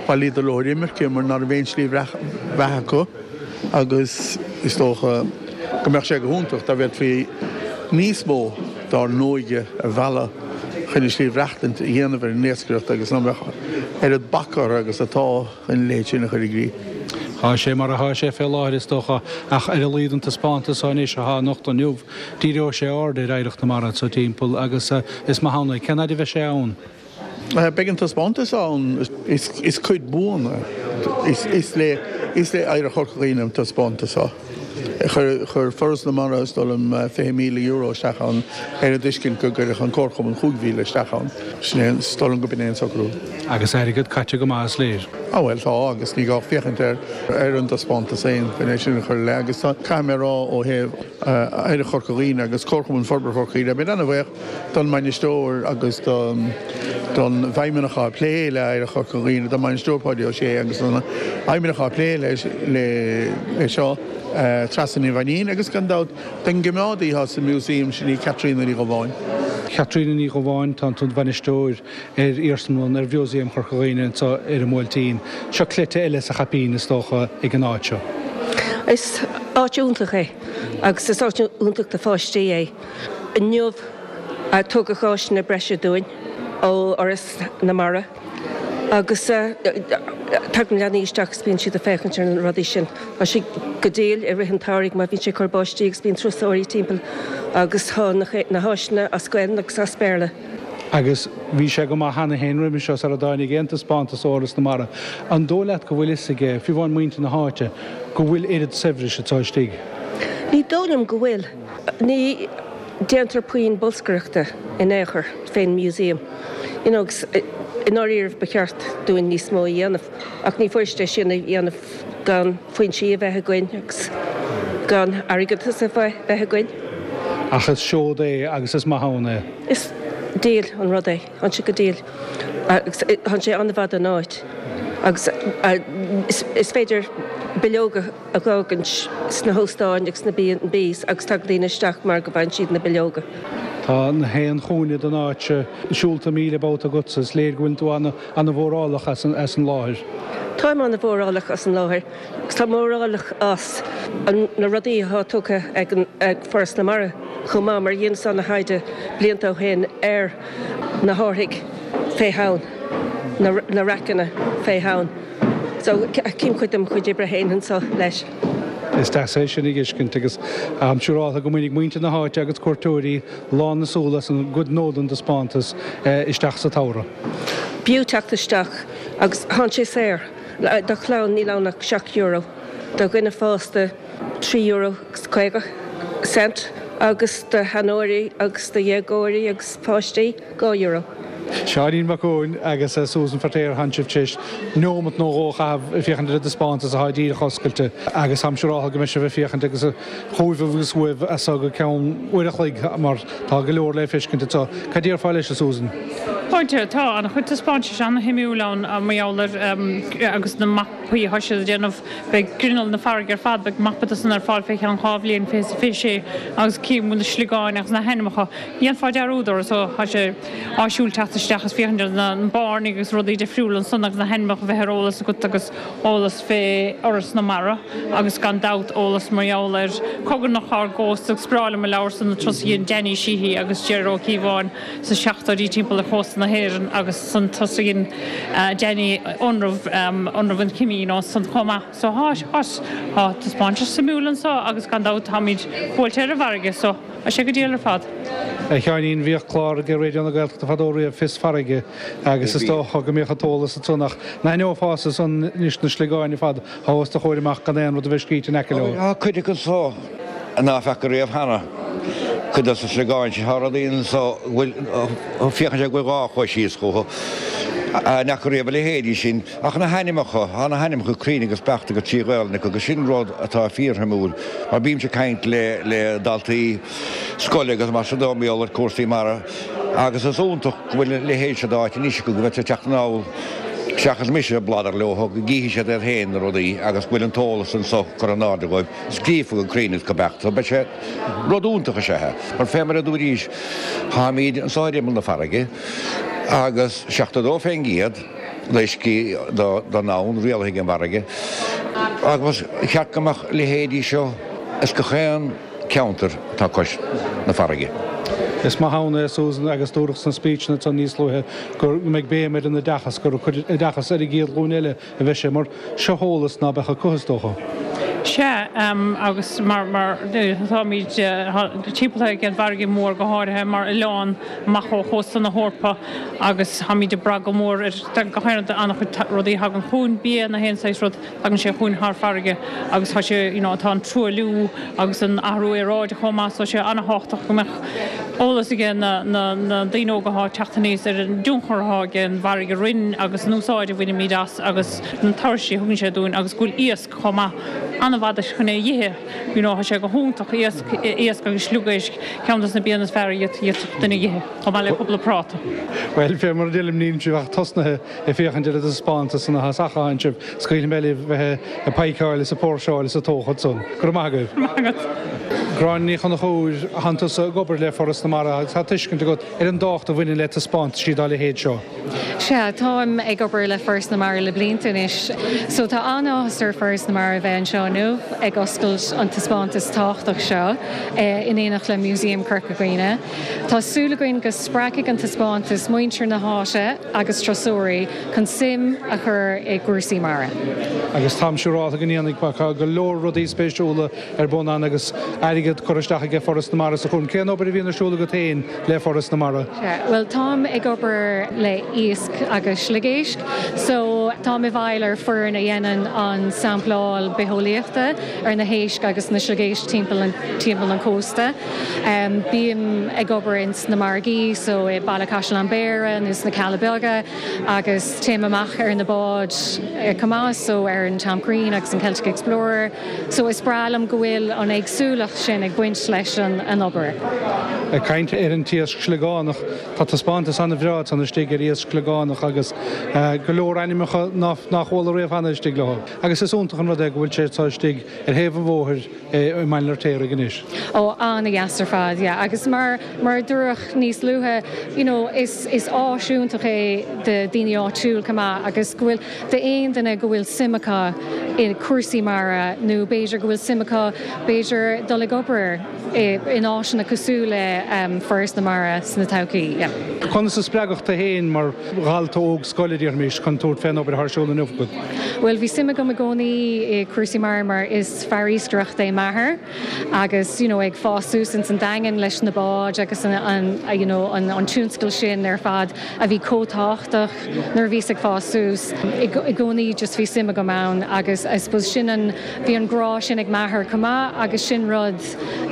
Speaker 4: bhailíodar leo ar imirce mar ná raibh aon slí bheatha acu agus is dócha go mbeadh sé go hiontach dá bhféadfaí níos mó dár n-óige a mhealladh chun a slí mhaireachtaint a dhéanamh ar an iascaireacht agus ná mbeadh oiread bac orthu agus atá chun a leithéid sin a chur i gcrích.
Speaker 1: Tá sé mar atá sé fé láthair is dócha ach ar a laghad an taispeántas seo anois atá anocht inniu, díreoidh sé aird ar oidhreacht na mara anso timpeall agus is maith ann é. Cén fhaid a bheidh sé ann?
Speaker 4: Beidh an taispeántas ann, is cuid buan é. Is le Oidhreacht Chorca Dhuibhne an taispeántas seo. Chuir Foras na Mara, is dóigh liom, €20,000 isteach ann ar an dtuiscint go gcuirfeadh an Comharchumann 5,000 isteach ann. Sin é, is dóigh liom go b'in é an socrú.
Speaker 1: Agus airgead caite go maith is léir.
Speaker 4: Á bhuel tá, agus ní gá ach féachaint ar an dtaispeántas féin chun é sin a chur i leith. Agus tá, caithfidh mé a rá ó thaobh Oidhreacht Chorca Dhuibhne agus Comharchumann Forbartha Chorca Dhuibhne, beidh mé an-bhuíoch don mbainisteoir agus don bhfeidhmeannach atá ag plé le Oidhreacht Chorca Dhuibhne, don mbainisteoir Páidí Ó Sé agus don fheidhmeannach atá ag plé leis seo, Treasa Ní Mhainín agus gan dabht don gcoimeádaí atá sa Museum, sin í Caitríona Ní Dhubháin.
Speaker 1: Caitríona Ní Dhubháin, tá tú id bhainisteoir ar iarsmalann, ar Mhúsaem Chorca Dhuibhne anseo ar an mBuailtín. Seo cleite eile sa chaipín is dócha ag an áit seo.
Speaker 5: Is áit iontach é agus is áit iontach do pháistí é. Inniu tugadh áiseanna breise dúinn ó Fhoras na Mara agus tagann leanaí isteach agus bíonn siad ag féachaint ar na rudaí sin. Tá sé go diail i rith an tsamhraidh mar bíonn sé ag cur báistí agus bíonn turasóirí timpeall agus tá na háiseanna as Gaelainn agus as Béarla.
Speaker 1: Agus bhí sé go maith cheana féin roimhe seo sara dtáinig aon taispeántas ó Fhoras na Mara. An dóigh leat go bhfuil fhios ag, fiú amháin muintir na háite, go bhfuil oiread saibhris anseo istigh?
Speaker 5: Ní dóigh liom go bhfuil. Ní déantar puinn bolscaireachta in aon chor fén museum you know agus i ndáiríribh ba cheart dúinn níos mó a dhéanamh ach ní fuirist é sin a dhéanamh gan foinsí a bheith againn agus gan airgeadas a bheith againn.
Speaker 1: Ach is seod é agus is maith ann é.
Speaker 5: Is diail an rud é, tá sé go diail agus tá sé an-mhaith don áit agus is féidir bileoga a dh'fhágaint sna hóstáin agus sna B and Bs agus tagann daoine isteach mar go bhfaigheann siad na bileoga.
Speaker 1: Tá na haon chúinne den áit seo siúlta 1,000 babhta agatsa. Is léir go bhfuileann tú ana-mhórálach as an láthair.
Speaker 5: Táim ana-mhórálach as an láthair agus táim mórálach as na rudaí atá tugtha ag Foras na Mara chomh maith mar dheineas ana-thaighde blianta ó shin ar na hárthaigh fé thonn, na raiceanna fé thonn. So, cím cuid dem chuid oibre féin anso leis.
Speaker 1: Is deas é sin a dh'fheiscint agus táim siúráltha go mbainfidh muintir na háite agus cuairteoirí lán na súl as an gcuid nó den dtaispeántas isteach sa tsamhradh.
Speaker 5: B'fhiú teacht isteach agus thánn sé saor. Do chlann níl ann ach €7, do dhuine fásta €3 agus 50 cent agus do sheanóirí agus do dhéagóirí agus páistí, €2.
Speaker 1: Seáinín Mac Eoin agus Susan Feirtéar thánn sibh tar éis neomat nó dhó a chaitheamh ag féachaint ar an dtaispeántas atá díreach oscailte agus táim siúráltha go mbeidh sibh ag féachaint agus chugaibh agus uaibh as so go ceann uair a chloig mar tá go leor le feiscint anseo. Cad déarfá leis, a Susan?
Speaker 6: Tá, tá an-chuid taispeántais an-shuimiúil ann mar gheall ar agus na mapaí atá siad a déanamh. Beidh grinneall na farraige ar fad, beidh mapa de san ar fáil fé cheann 2 bhliain, 2026, agus cím na sliogáin agus na hainmneacha. Dhéanfá dearúd orthu so tá sé áisiúil teacht isteach is féachaint ar na bairnigh agus rudaí difriúla ansan agus na hainmneacha bheith ar eolas agat agus eolas fé Fhoras na Mara agus gan dabht eolas mar gheall ar chogarnach ár gcósta agus is breá liom an leabhar san an turas a dhein Danny Sheehy agus Ger Ó Cíobháin sa seachtóidí timpeall ar chósta na hÉireann agus san turas a dhein Danny ionramh ionramh an Chimín ansan chomh maith. So tá tá taispeántas suimiúil anso agus gan dabht táimid buailte ar an bhfarraige so tá sé go diail ar fad.
Speaker 1: A Sheáinín, bhíodh clár ag Raidió na Gaeltachta fadó riamh, Fios Farraige, agus is dócha go mbíodh an t-eolas ansan ach an aithneofása san anois na sliogáin ar fad atá os do chomhair amach gan aon rud a bheith scríte in aice leo.
Speaker 7: Tá cuid acu anso ná feaca riamh cheana, cuid dos na sliogáin sin. Tá rudaí anso go bhfuil, féachann sé go bhfuil dhá chois síos chucu. N'fheaca riamh a leithéidí sin. Ach na hainmneacha, tá na hainmneacha cruinn agus beacht agus trí Ghaolainn acu agus sin rud atá fíorshuimiúil mar bímse ag caint le le daltaí scoile agus mar sin de mar gheall ar cúrsaí mara agus is iontach go bhfuil a leithéid seo d'áit anois acu go bhféadfadh siad teacht anall seachas mise ag bladar leo go gcífidh siad iad féin na rudaí agus go bhfuil an t-eolas anso curtha in airde dhóibh scríofa go cruinn agus go beacht so beidh sé rud iontach is ea é mar fé mar a dúraís táimíd anso ar imeall na farraige agus 72% d'uiscí don domhan rialaithe ag an bhfarraige agus ba cheart go mbeadh leithéidí seo ins gach aon ceantar atá cois na farraige.
Speaker 1: Is maith ann é, Susan, agus dúradh sna speechanna ansan níos luaithe go mbeidh béim ar an oideachas, gur ag cur oideachas ar an gcéad ghlúin eile a bheidh sé, mar seo eolas ná beadh acu, is dócha.
Speaker 6: Sea, agus mar, mar, táimid timpeallaithe ag an bhfarraige mhór, go háirithe mar oileán amach ó chósta na hEorpa agus táimid ag brath go mór ar, go háirithe an-chuid rudaí a thagann chugainn, bia, na haon saghas rud, tagann sé chugainn thar farraige agus tá sé, you know, tá an truailliú agus an athrú aeráide chomh maith so tá sé an-thábhachtach go mbeadh eolas aige na, na, na daoine óga atá ag teacht aníos ar an dtionchar atá ag an bhfarraige orainn agus an úsáid a bhainimid as agus na tuirsí a thugann sé dúinn agus go bhfuil iasc chomh maith an-mhaith chun é a dh'ithe. You know, tá sé go hiontach, iasc, iasc agus sliogéisc, ceann dos na bianna is fearr a d'fhéadfadh duine a dh'ithe, chomh maith le cúpla práta.
Speaker 1: Bhuel, fé mar a deirim, níl sibh ach tosnaithe ag féachaint ar an dtaispeántas san atá s'acu ansibh, scaoilfidh mé libh bheith ag paidhceáil is ag póirseáil is ag tóchailt san. Go raibh maith agaibh.
Speaker 6: Go raibh maith agat.
Speaker 1: Gráinne Ní Chonchúir, Thánn tusa ag obair le Foras na Mara agus tá tuiscint agat ar an dtábhacht a bhaineann le taispeántaisí dá leithéid seo.
Speaker 8: Sea, táim ag obair le Foras na Mara le blianta anois. So tá an-áthas ar Foras na Mara bheith anseo inniu ag oscailt an taispeántas tábhachtach seo in éineacht le Músaem Chorca Dhuibhne. Tá súil againn go spreagfaidh an taispeántas muintir na háite agus turasóirí chun suim a chur i gcúrsaí mara.
Speaker 1: Agus táim siúrálta go ndéanfaidh mar tá go leor rudaí spéisiúla ar bun ann agus airgead curtha isteach aige Foras na Mara sa chúram. Cén obair a bhíonn ar siúl agat féin le Foras na Mara?
Speaker 8: Sea, bhuel táim ag obair le iasc agus sliogéisc so táim i bhfeighil ar foireann a dhéanann an sampláil bitheolaíochta ar na héisc agus na sliogéisc timpeall an timpeall an chósta. Bím ag obair ins na margaí so i Baile Caisleán Bhéarra nó sna Cealla Beaga agus téim amach ar na báid chomh maith so ar an Tom Crean agus an Celtic Explorer. So is breá liom go bhfuil an éagsúlacht sin ag baint leis an obair.
Speaker 1: Ag caint ar an t-iasc sliogánach, tá taispeántas an-bhreá ansan istigh ar iasc sliogánach agus go leor ainmneacha nár chuala riamh cheana istigh leo. Agus is iontach an rud é go bhfuil sé seo istigh ar thaobh an bhóthair i mBaile an Fheirtéaraigh anois.
Speaker 8: Ó, an-dheas ar fad, yeah. Agus mar, mar a dúradh níos luaithe, you know, is, is áis iontach é do daoine áitiúil chomh maith agus go bhfuil, D'aon duine go bhfuil suim acu i cúrsaí mara nó b'fhéidir go bhfuil suim acu b'fhéidir dul ag obair in áiseanna cosúil le Foras na Mara sna todhchaí. Yeah.
Speaker 1: Conas a spreagadh tú féin mar dhalta óg scoile, déarfaimis, chun tabhairt fén obair atá ar siúl inniu agat?
Speaker 8: Bhuel, bhí suim agam i gcónaí i cúrsaí mara mar is fear iascaireachta é m'athair agus you know ag fás suas ins an Daingean leis na báid agus an you know an tionscal sin ar fad a bhí chomh tábhachtach nuair a bhíos ag fás suas. I gcónaí just bhí suim agam ann. ann agus I suppose sin an, bhí an grá sin ag m'athair chomh maith agus sin rud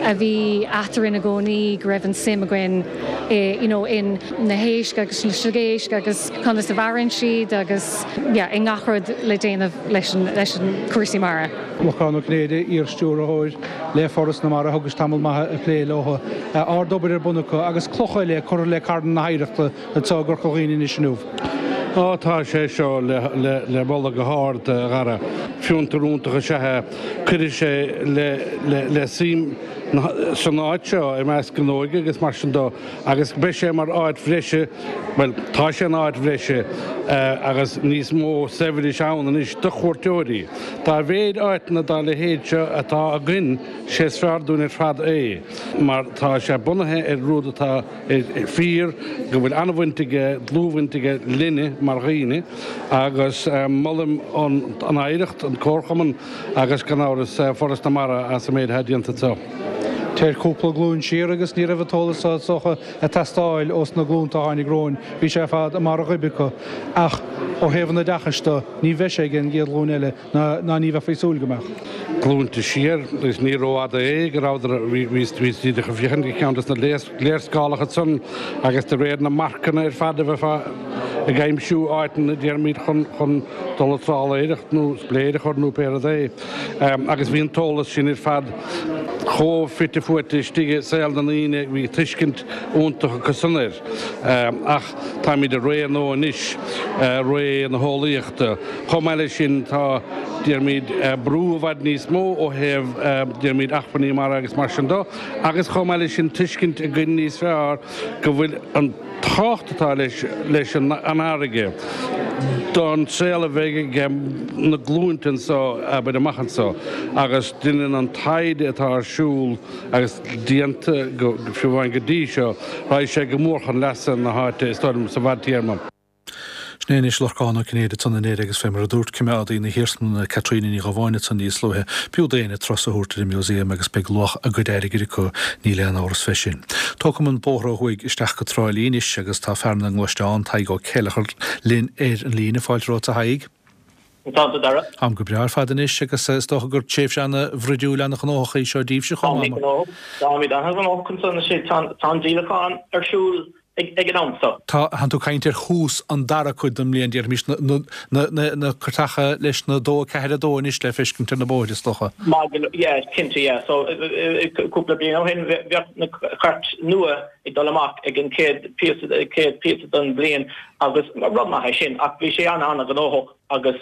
Speaker 8: a bhí eatarinn i gcónaí go raibh an suim againn i, you know, in na héisc agus na sliogéisc agus conas a mhaireann siad agus yeah i ngach rud le déanamh leis an, leis an cúrsaí mara.
Speaker 1: Lorcán Ó Cinnéide, iar-stiúrthóir le Foras na Mara, thugais tamall maith ag plé leo. Ard-obair ar bun acu agus cloch eile curtha le carn na hoidhreachta anseo i gCorca Dhuibhne anois inniu.
Speaker 9: Á, tá sé seo le moladh go hard, a Dhara. Fiontar iontach is ea é. Cuirfidh sé le suim san áit seo i measc an óige agus mar sin de agus beidh sé mar áit bhreise, bhuel, tá sé ina áit bhreise agus níos mó saibhris ann anois do chuairteoirí. Dá mhéid áiteanna dá leithéid seo atá againn, sé is fearr dúinn ar fad é mar tá sé bunaithe ar rud atá fíor go bhfuil an-bhaint aige, dlúthbhaint aige linne mar dhaoine agus molaim an Oidhreacht, an Comharchumann agus gan amhras Foras na Mara as an méid atá déanta anseo.
Speaker 1: Téir cúpla glúin siar agus ní raibh an t-eolas seo is dócha ag teastáil ós na glúnta a tháinig romhainn, bhí sé ar fad i mbarr a ghoib acu. Ach ó thaobh an oideachais de, ní bheidh sé ag an gcéad ghlúin eile. Ná ní bheifí ag súil go mbeadh.
Speaker 9: Glúnta siar, agus ní rófhada é, go rabhadar, bhí siad ag féachaint ar cheann de na léarscálacha san agus de réir na marcanna ar fad a bheifeá ag aimsiú áiteanna, déarfaimid, chun, chun dul ag trálaeireacht nó spléir a chur nó pé rud é. Agus bhí an t-eolas sin ar fad chomh fite fuaite istigh i saol na ndaoine, bhí tuiscint iontach acu san air. Ach táimid i ré nua anois, ré na heolaíochta. Chomh maith leis sin, tá, déarfaimid, brú i bhfad níos mó ó thaobh, déarfaimid, acmhainní mara agus mar sin de, agus chomh maith leis sin tuiscint againn níos fearr go bhfuil an tábhacht atá leis, leis an fharraige don saol a bheidh ag na glúinte anseo, abair, amach anseo agus déanann an taighde atá ar siúl agus déanta go, fiú amháin go dtí seo, raghaidh sé go mór chun leasa na háite, is dóigh liom, sa bhfadtéarma.
Speaker 1: Sin é anois Lorcán Ó Cinnéide ansan i nDoire agus fé mar a dúirt coimeádaí na hiarsmalainne Caitríona Ní Dhubháin ansan níos luaithe, b'fhiú d'éinne turas a thabhairt ar an Museum agus beidh luach a gcuid airgid acu, níl aon amhras fé sin. Tógfaidh an bóthar ó thuaidh isteach go Trá Lí anois agus tá fear na ngluaisteán, Tadhg Ó Céileachair, linn ar an líne. Fáilte romhat a Thaidhg.
Speaker 10: Tá tú Dara.
Speaker 1: Táim go breá ar fad anois agus is dócha gur tréimhse ana-bhruidiúil ana-ghnóthach í seo daoibhse chomh maith.
Speaker 10: Táimid gnóthach, táimid ana-ghnóthach ansan anois, tá an díolachán ar siúl ag an am
Speaker 1: seo. Tá, tánn tú ag caint ar thús an dara cuid den mbliain, déarfaimis, na, na, na, na cairteacha leis na 2, 4, 2 anois le feiscint ar na bóithre, is dócha.
Speaker 10: Maidir le, yeah, cinnte, yeah. So, cúpla bliain ó shin, bheadh na cairt nua ag dul amach ag an chéad píosa, chéad píosa den bhliain agus rud maith é sin ach bhí sé an-an-ghnóthach agus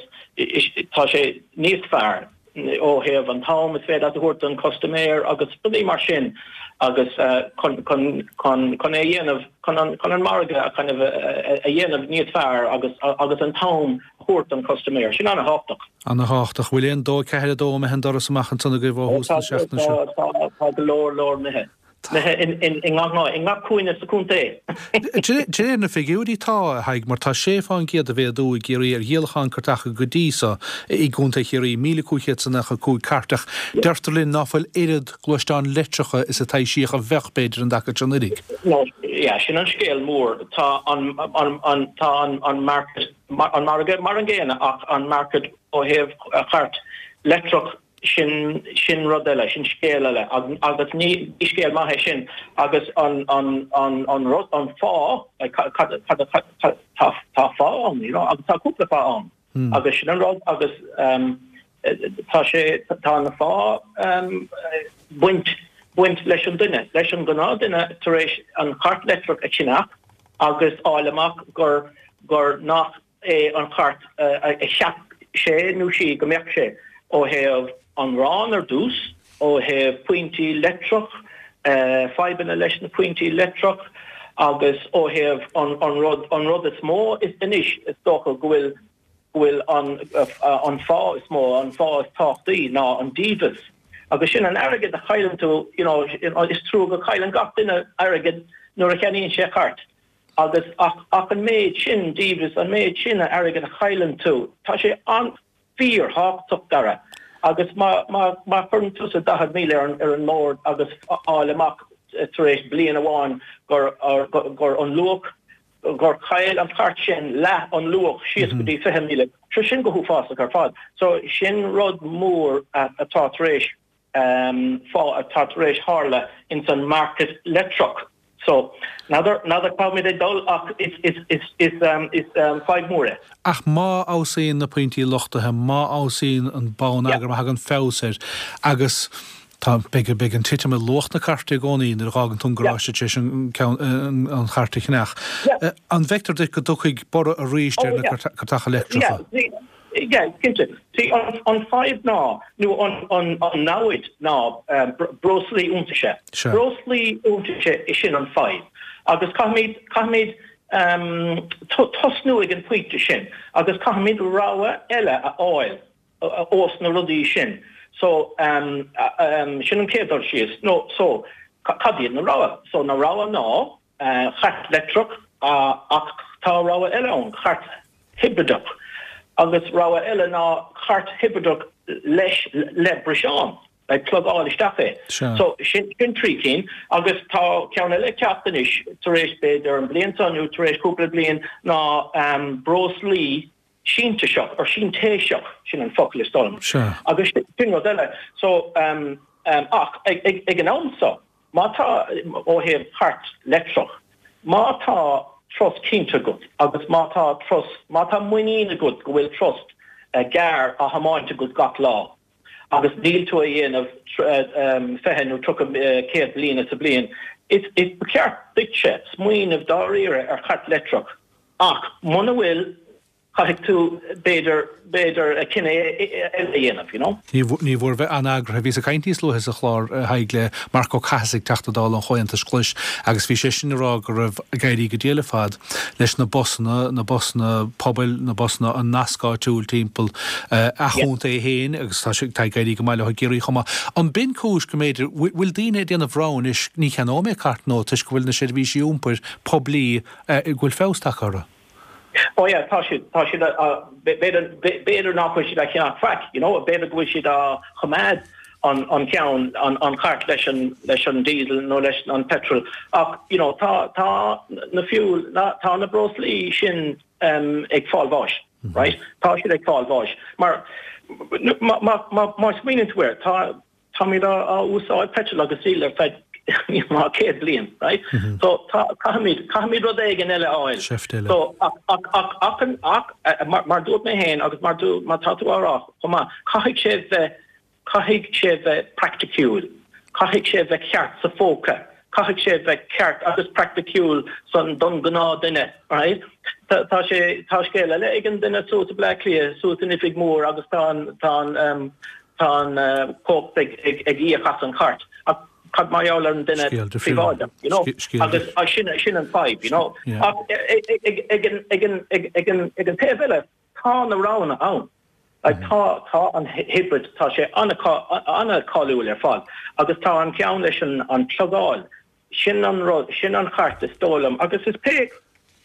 Speaker 10: tá sé níos fearr. ó thaobh an t-am is féidir leat a thabhairt don chustaiméir agus rudaí mar sin agus chun chun chun chun é a dhéanamh chun an chun an margadh a kind of a dhéanamh níos fearr agus agus an t-am a thabhairt don chustaiméir. Sin
Speaker 1: an-thábhachtach. An-thábhachtach. Bhfuil aon 2 4 2 imithe an doras amach ansan agaibh ó thús na seachtaine
Speaker 10: seo? Tá tá tá go leor leor imithe. I ngach áit, i ngach cúinne sa chontae.
Speaker 1: De réir na figiúirí tá, a Thaidhg, mar tá 6 fán gcéad de mhéadú i gCiarraí ar dhíolachán cairteacha go dtí so i gContae Chiarraí, 1,595 cairt, ach deirtear linn ná fuil oiread gluaisteán leictreacha is a taibhsíodh a bheadh, b'fhéidir, an dtaca seo
Speaker 10: anuraidh. Yeah, sin an scéal mór. Tá an, an, tá an, an market, an margadh mar an gcéanna ach an market ó thaobh chairt leictreach Sin, sin rud eile, sin scéal eile agus ní scéal maith é sin agus an, an, an, an rud, an fáth, like cad, cad, cad, cad, tá, tá fáth ann, you know, agus tá cúpla fáth ann agus sin an rud agus ehm tá sé, tá an fáth ehm baint, baint leis an duine, leis an gnáthdhuine tar éis an chairt leictreach a cheannach agus fháil amach gur, gur nach é an chairt a cheap sé nó sí go mbeadh sé, ó thaobh an raon ar dtús, ó thaobh pointí leictreach, fadhbanna leis na pointí leictreach agus ó thaobh an rud, an rud is mó anois is dócha go bhfuil, go bhfuil an, an fáth is mó, an fáth is tábhachtaí ná an dímheas agus sin an airgead a chailleann tú, you know, is trua go cailleann gach duine airgead nuair a cheannaíonn sé cairt. Agus ach ach an méid sin dímheas, an méid sin airgid a chailleann tú, tá sé an fíor-thábhachtach, Dara. Agus má má má chuireann tusa 40,000 ar an ar an mbord agus fháil amach tar éis bliain amháin gur gur an luach. gur chaill an chairt sin leath an luach síos go dtí 20,000. So sin go huafásach ar fad. So sin rud mór atá tar éis fá atá tar éis tharla ins an market leictreach. So n'fheadar n'fheadar cá bhfuilimid ag dul ach is is is is is fadhb mhór é.
Speaker 1: Ach má fheabhsaíonn na pointí luchtaithe, má fheabhsaíonn an bonneagar, má thagann feabhas air agus tá, beidh, beidh an titim i luach na cairte i gcónaí nuair a dh'fhágann tú an garáiste tar éis an ceann, an chairt a cheannach. An bhfeictear duit go dtiocfaidh borradh arís ar na cairteacha leictreacha?
Speaker 10: Yeah, cinnte. See, an fadhb ná, nó an namhaid ná breoslaí iontaise. Breoslaí iontaise, sin an fadhb. Agus caithfimid, caithfimid tosnú ag an pointe sin agus caithfimid rogha eile a fháil ós na rudaí sin. So, sin an chéad dul síos. No, so, cad iad na rogha? So, na rogha ná chairt leictreach ach tá rogha eile ann, cairt hibrideach. Agus rogha eile ná cairt hibrideach leis, le breiseán, like plugáil isteach é. So sin 3 cinn. Agus tá ceann eile ag teacht anois tar éis b'fhéidir an bhliain seo nó tar éis cúpla bliain ná breoslaí sintéiseach, or sintéiseach, sin an focal is dóigh liom. Agus sin rud eile. So ach ag an am seo, Má tá, ó thaobh cairt leictreach, má tá turas cinnte agat agus má tá turas, má tá muinín agat go bhfuil turas gearr á thiomáint agat gach lá agus níl tú a dhéanamh 20 nó 30, 100 míle sa bhliain, is, is, ba cheart duitse smaoineamh dáiríre ar chairt leictreach ach muna bhfuil, Caithfidh tú, b'fhéidir, b'fhéidir cinneadh eile a dhéanamh, you know.
Speaker 1: Ní mhór bheith an-eagraithe. Bhíos ag caint níos luaithe sa chlár, a Thaidhg, le Marc Ó Cathasaigh, Teachta Dála an Chomhaontais Ghlais, agus bhí seisean ag rá go raibh ag éirí go diail ar fad leis na busanna, na busanna pobail, na busanna, an nasc áitiúil timpeall a chontae féin agus tá sé, tá ag éirí go maith leo i gCiarraí chomh maith. An b'in cúis go mb'fhéidir, bhfuil daoine ag déanamh rogha anois, ní cheannóidh mé cairt nó toisc go bhfuil na seirbhísí iompair poiblí, go bhfuil feabhas tagtha orthu?
Speaker 10: Oh yeah, tá siad, tá siad á, b'fhéidir, b'fhéidir nach bhfuil siad á cheannach faic, you know, b'fhéidir go bhfuil siad á choimeád an, an ceann, an, an chairt leis an, leis an diesel nó leis an petrol ach, you know, tá, tá na fuel, na, tá na breoslaí sin um, ag fáil bháis, right? Tá siad ag fáil bháis. Mar, má, má, má, má smaoiníonn tú air, tá, Táimid á úsáid petrol agus diesel ar feadh níos mó ná 100 bliain, right? So tá, caithfimid, caithfimid rud éigin eile a fháil.
Speaker 1: Seift eile.
Speaker 10: So ach, ach, ach, ach, an, ach, mar, mar dúirt mé féin agus mar dú, mar tá tú á rá chomh maith, caithfidh sé bheith, caithfidh sé bheith praiticiúil. Caithfidh sé bheith ceart sa phóca. Caithfidh sé bheith ceart agus praiticiúil san, don ghnáthduine, right? Tá, tá sé, tá scéal eile ag an duine suas i Bleá Cliath, suas in oifig mór agus tá an, tá an, Tá an chumhacht ag íoc as an chairt ach cad mar gheall ar an duine príobháideach, you know? Agus sin sin an fadhb, you know? Ach ag an taobh eile, tá na roghanna ann. Like tá tá an hybrid, tá sé an-cáiliúil ar fad agus tá an ceann leis an plugáil Sin an rud, sin an chairt is dóigh liom, agus is pé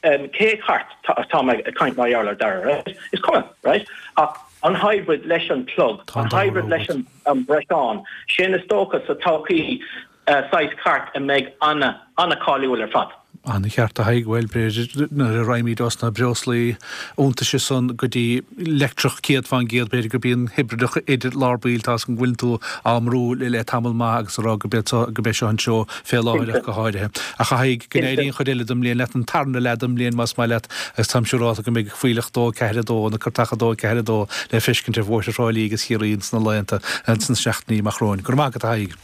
Speaker 10: cé chairt atá mé ag caint mar gheall air Dara, right? Is cuma, right? Ach an hybrid leis an plug, an hybrid leis an breiseán, sin is dócha sa todhchaí saghas cairt a mbeidh ana-cáiliúil ar fad.
Speaker 1: An-cheart a Thaidhg, bhuel, b'fhéidir nuair a raghaimid os na breoslaí iontaise san go dtí leictreach 100%, b'fhéidir gurb í an hibrideach idir lár baill, tá 'fhios agam go bhfuileann tú á mbrú le le tamall maith agus a rá go b'é go b'é seo an treo fé láthair ach go háirithe. Ach a Thaidhg, go n-éirí an chuid eile den mbliain leat, an tarna leath den mbliain más maith leat, agus táim siúrálta go mbeidh fuílleach 2, 4, 2, na cairteacha 2, 4, 2 le feiscint ar bhóithre Thrá Lí agus Chiarraí ins na laethanta, ins na seachtainí amach romhainn. Go raibh maith agat a Thaidhg.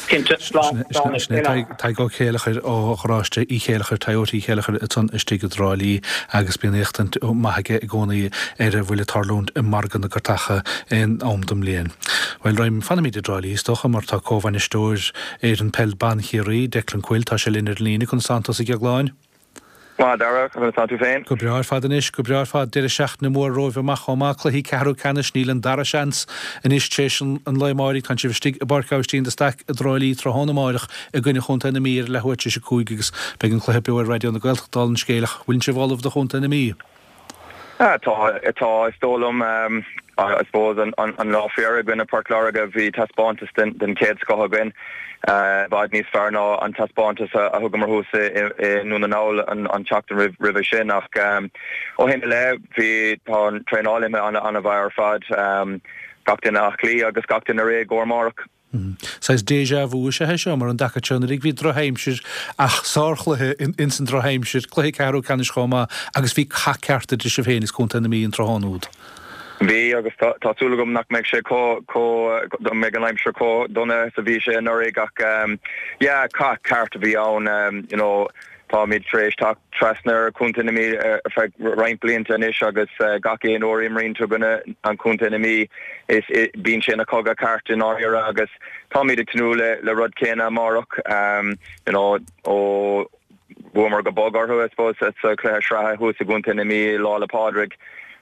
Speaker 10: Cinnte, slán, slán
Speaker 1: Sin é Tadhg Ó Céileachair ó Gharáiste Uí Chéileachair, Toyota Uí Chéileachair ansan istigh i dTrá Lí agus bíonn éachtaint maith aige i gcónaí ar a bhfuil ag tarlúint i margadh na gcairteacha aon am den mbliain. Bhuel, raghaim, fanfaimid i dTrá Lí is dócha mar tá comhbhainisteoir fhoireann peil ban Chiarraí, Declan Quill, tá sé linn ar an líne. Conas tánn tusa a Dheagláin?
Speaker 11: Maith, a Dhara, conas tá tú féin?
Speaker 1: Go breá ar fad anois, go breá ar fad. Deireadh seachtaine mór romhaibh amach chomh maith, cluichí ceathrú ceannais, níl an dara seans anois tar éis an lae amáirigh. Tánn sibh istigh i bPáirc Aibhistín de Staic i dTrá Lí tráthnóna amáireach i gcoinne Chontae na Mí ar a leathuair tar éis a 5 agus beidh an cluiche beo ar Raidió na Gaeltachta dála an scéil ach bhfuileann sibh ullamh do Chontae na Mí?
Speaker 11: Tá, tá, is dóigh liom. I suppose an lá faoi dheireadh i gcoinne Port Láirge bhí taispeántas den chéad scoth againn, i bhfad níos fearr ná an taispeántas a thugamar thuas i nDún na nGall an tseachtain roimhe sin ach ó shin i leith bhí, tá an traenáil imithe an-mhaith ar fad, gach duine aclaí agus gach duine réidh i gcomhair amárach.
Speaker 1: Saghas déjà vu is ea é seo, mar an dtaca seo anuraidh bhí drochaimsir ach sárchluiche ins an drochaimsir, cluiche ceathrú ceannais chomh maith agus bhí cath ceart idir sibh féin is Contae na Mí an tráthnóna úd.
Speaker 11: Bhí agus tá súil agam nach mbeidh sé chomh, go mbeidh an aimsir chomh dona is a bhí sé anuraidh ach yeah, cath ceart a bhí ann, you know. Táimid tar éis teacht trasna ar Chontae na Mí ar feadh roinnt blianta anois agus gach aon uair a imríonn tú i gcoinne an Chontae na Mí is bíonn sé ina chogadh ceart i ndáiríre agus táimid ag tnúth le le rud céanna amárach. You know ó bhuamar go bog orthu I suppose sa chluiche sraithe thuas i gContae na Mí Lá 'le Pádraig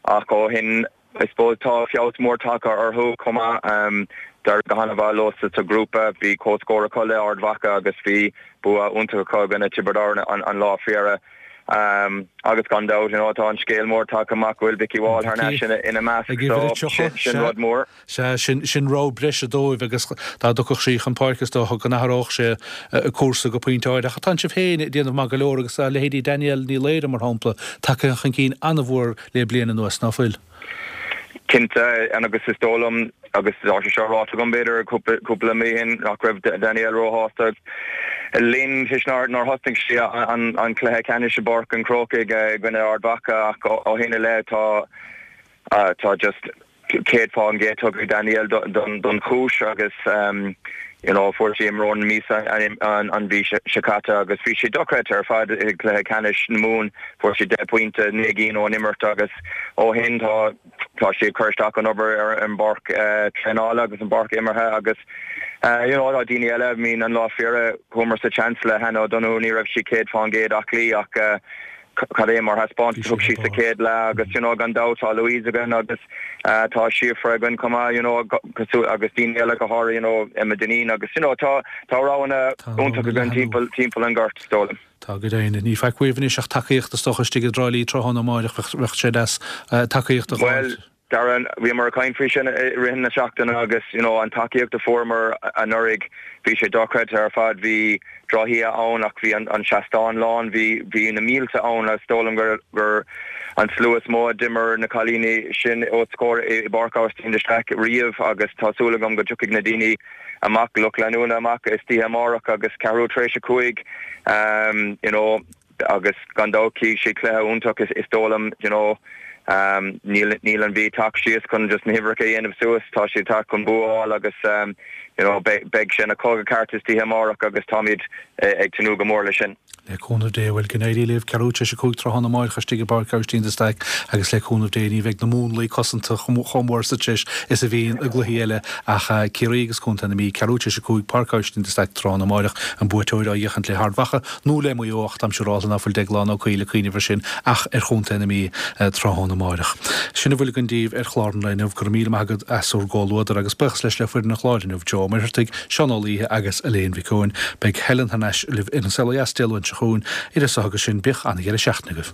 Speaker 11: ach ó shin I suppose tá feabhas mór tagtha orthu chomh maith. D'éirigh go han-mhaith leo sa ghrúpa. Bhí comhscór acu le Ard Mhacha agus bhí bua iontach acu i gcoinne Tiobraid Árann an lá faoi dheireadh. Agus gan dabht, you know, tá an scéal mór tagtha amach go bhfuil Vikki Wall thar n-ais ina measc so sin rud mór.
Speaker 1: Sea, sin, sin rogha breise dóibh agus dá dtiocfadh sí chun páirce is dócha go n-athródh sé cúrsa go pointe áirithe. Ach tánn sibh féin ag déanamh maith go leor agus tá leithéidí Danielle Ní Laoire, mar shampla, tagtha chun cinn an-mhór le bliain anuas, ná fuil?
Speaker 11: Cinnte, agus is dóigh liom, agus tá sé seo ráite agam b'fhéidir cúpla mí ó shin, nach raibh Danielle róshásta linn toisc nár thosnaigh sí an cluiche ceannais i bPáirc an Chrócaigh i gcoinne Ard Mhacha ach ó shin i leith tá tá just 100% tugtha ag Danielle don chúis agus you know fuair sí imreoir na míosa an mhí seo caite agus bhí sí dochreidte ar fad i gcluiche ceannais na Mumhan. Fuair sí 10 bpointe, 9 gcinn ón imirt agus ó shin tá tá sí ag cur isteach an obair ar an bpáirc traenála agus an bpáirc imeartha agus you know tá daoine eile, I mean an lá faoi dheireadh chuamar sa tseans le Hannah O'Donoghue, ní raibh sí 100% aclaí ach cad é mar thaispeántas a thug sí sa chéad leath agus you know gan dabht tá Louise againn agus tá Síofra againn chomh maith you know cosúil agus daoine eile go háirithe you know Emma Dineen agus you know tá tá roghanna iontach againn timpeall timpeall an ghoirt is dóigh liom.
Speaker 1: Tá go deimhin. Ní faic uaibh anois ach tacaíocht is dócha istigh i dTrá Lí tráthnóna amáireach bheadh sé deas tacaíocht a
Speaker 11: fháil. Bhuel Darren, bhíomar ag caint faoi sin i rith na seachtaine agus you know an tacaíocht a fuaireamar anuraidh, bhí sé dochreidte ar fad. Bhí drochoíche ann ach bhí an seastán lán, bhí bhí na mílte ann agus is dóigh liom gur gur an slua is mó a d'imir na cailíní sin os comhair i bPáirc Aibhistín de Staic riamh agus tá súil agam go dtiocfaidh na daoine amach, lucht leanúna amach istoíche amárach agus ceathrú tar éis a 5 you know. Agus gan dabht cífidh siad cluiche iontach is dóigh liom, you know. Níl níl an Mhí ag teacht síos chun just na huimhreacha a dhéanamh suas, tá siad ag teacht chun bua a fháil agus you know beidh beidh sé ina chogadh ceart istoíche amárach agus táimid ag tnúth go mór leis sin.
Speaker 1: Le cúnamh Dé, bhuel, go n-éirí libh, ceathrú tar éis a 5 tráthnóna amáireach istigh i bPáirc Aibhistín de Staic agus le cúnamh Dé ní bheidh na múnlaí cosanta chomh mór sa treis is a bhíonn i gcluichí eile ach Ciarraí agus Contae na Mí, ceathrú tar éis a 5, Páirc Aibhistín de Staic tráthnóna amáireach, an buaiteoir á fhéachaint le hArd Mhacha. nó le Maigh Eo ach táim siúrálta ná fuil Deaglán Ó Cuill ag cuimhneamh ar sin ach ar chontae na Mí tráthnóna amáireach. Sin a bhfuil againn daoibh ar chlár an lae inniu. Go raibh míle maith agat as bhur gcomhluadar agus buíochas leis le foireann an chláir inniu, Joe Ó Muircheartaigh, Seán Ó Laoithe agus Elaine Mhic Eoin. Beidh Helen thar n-ais libh ar An Saol Ó Dheas Dé Luain seo chugainn. Idir so agus sin, bíodh an-dheireadh seachtaine agaibh.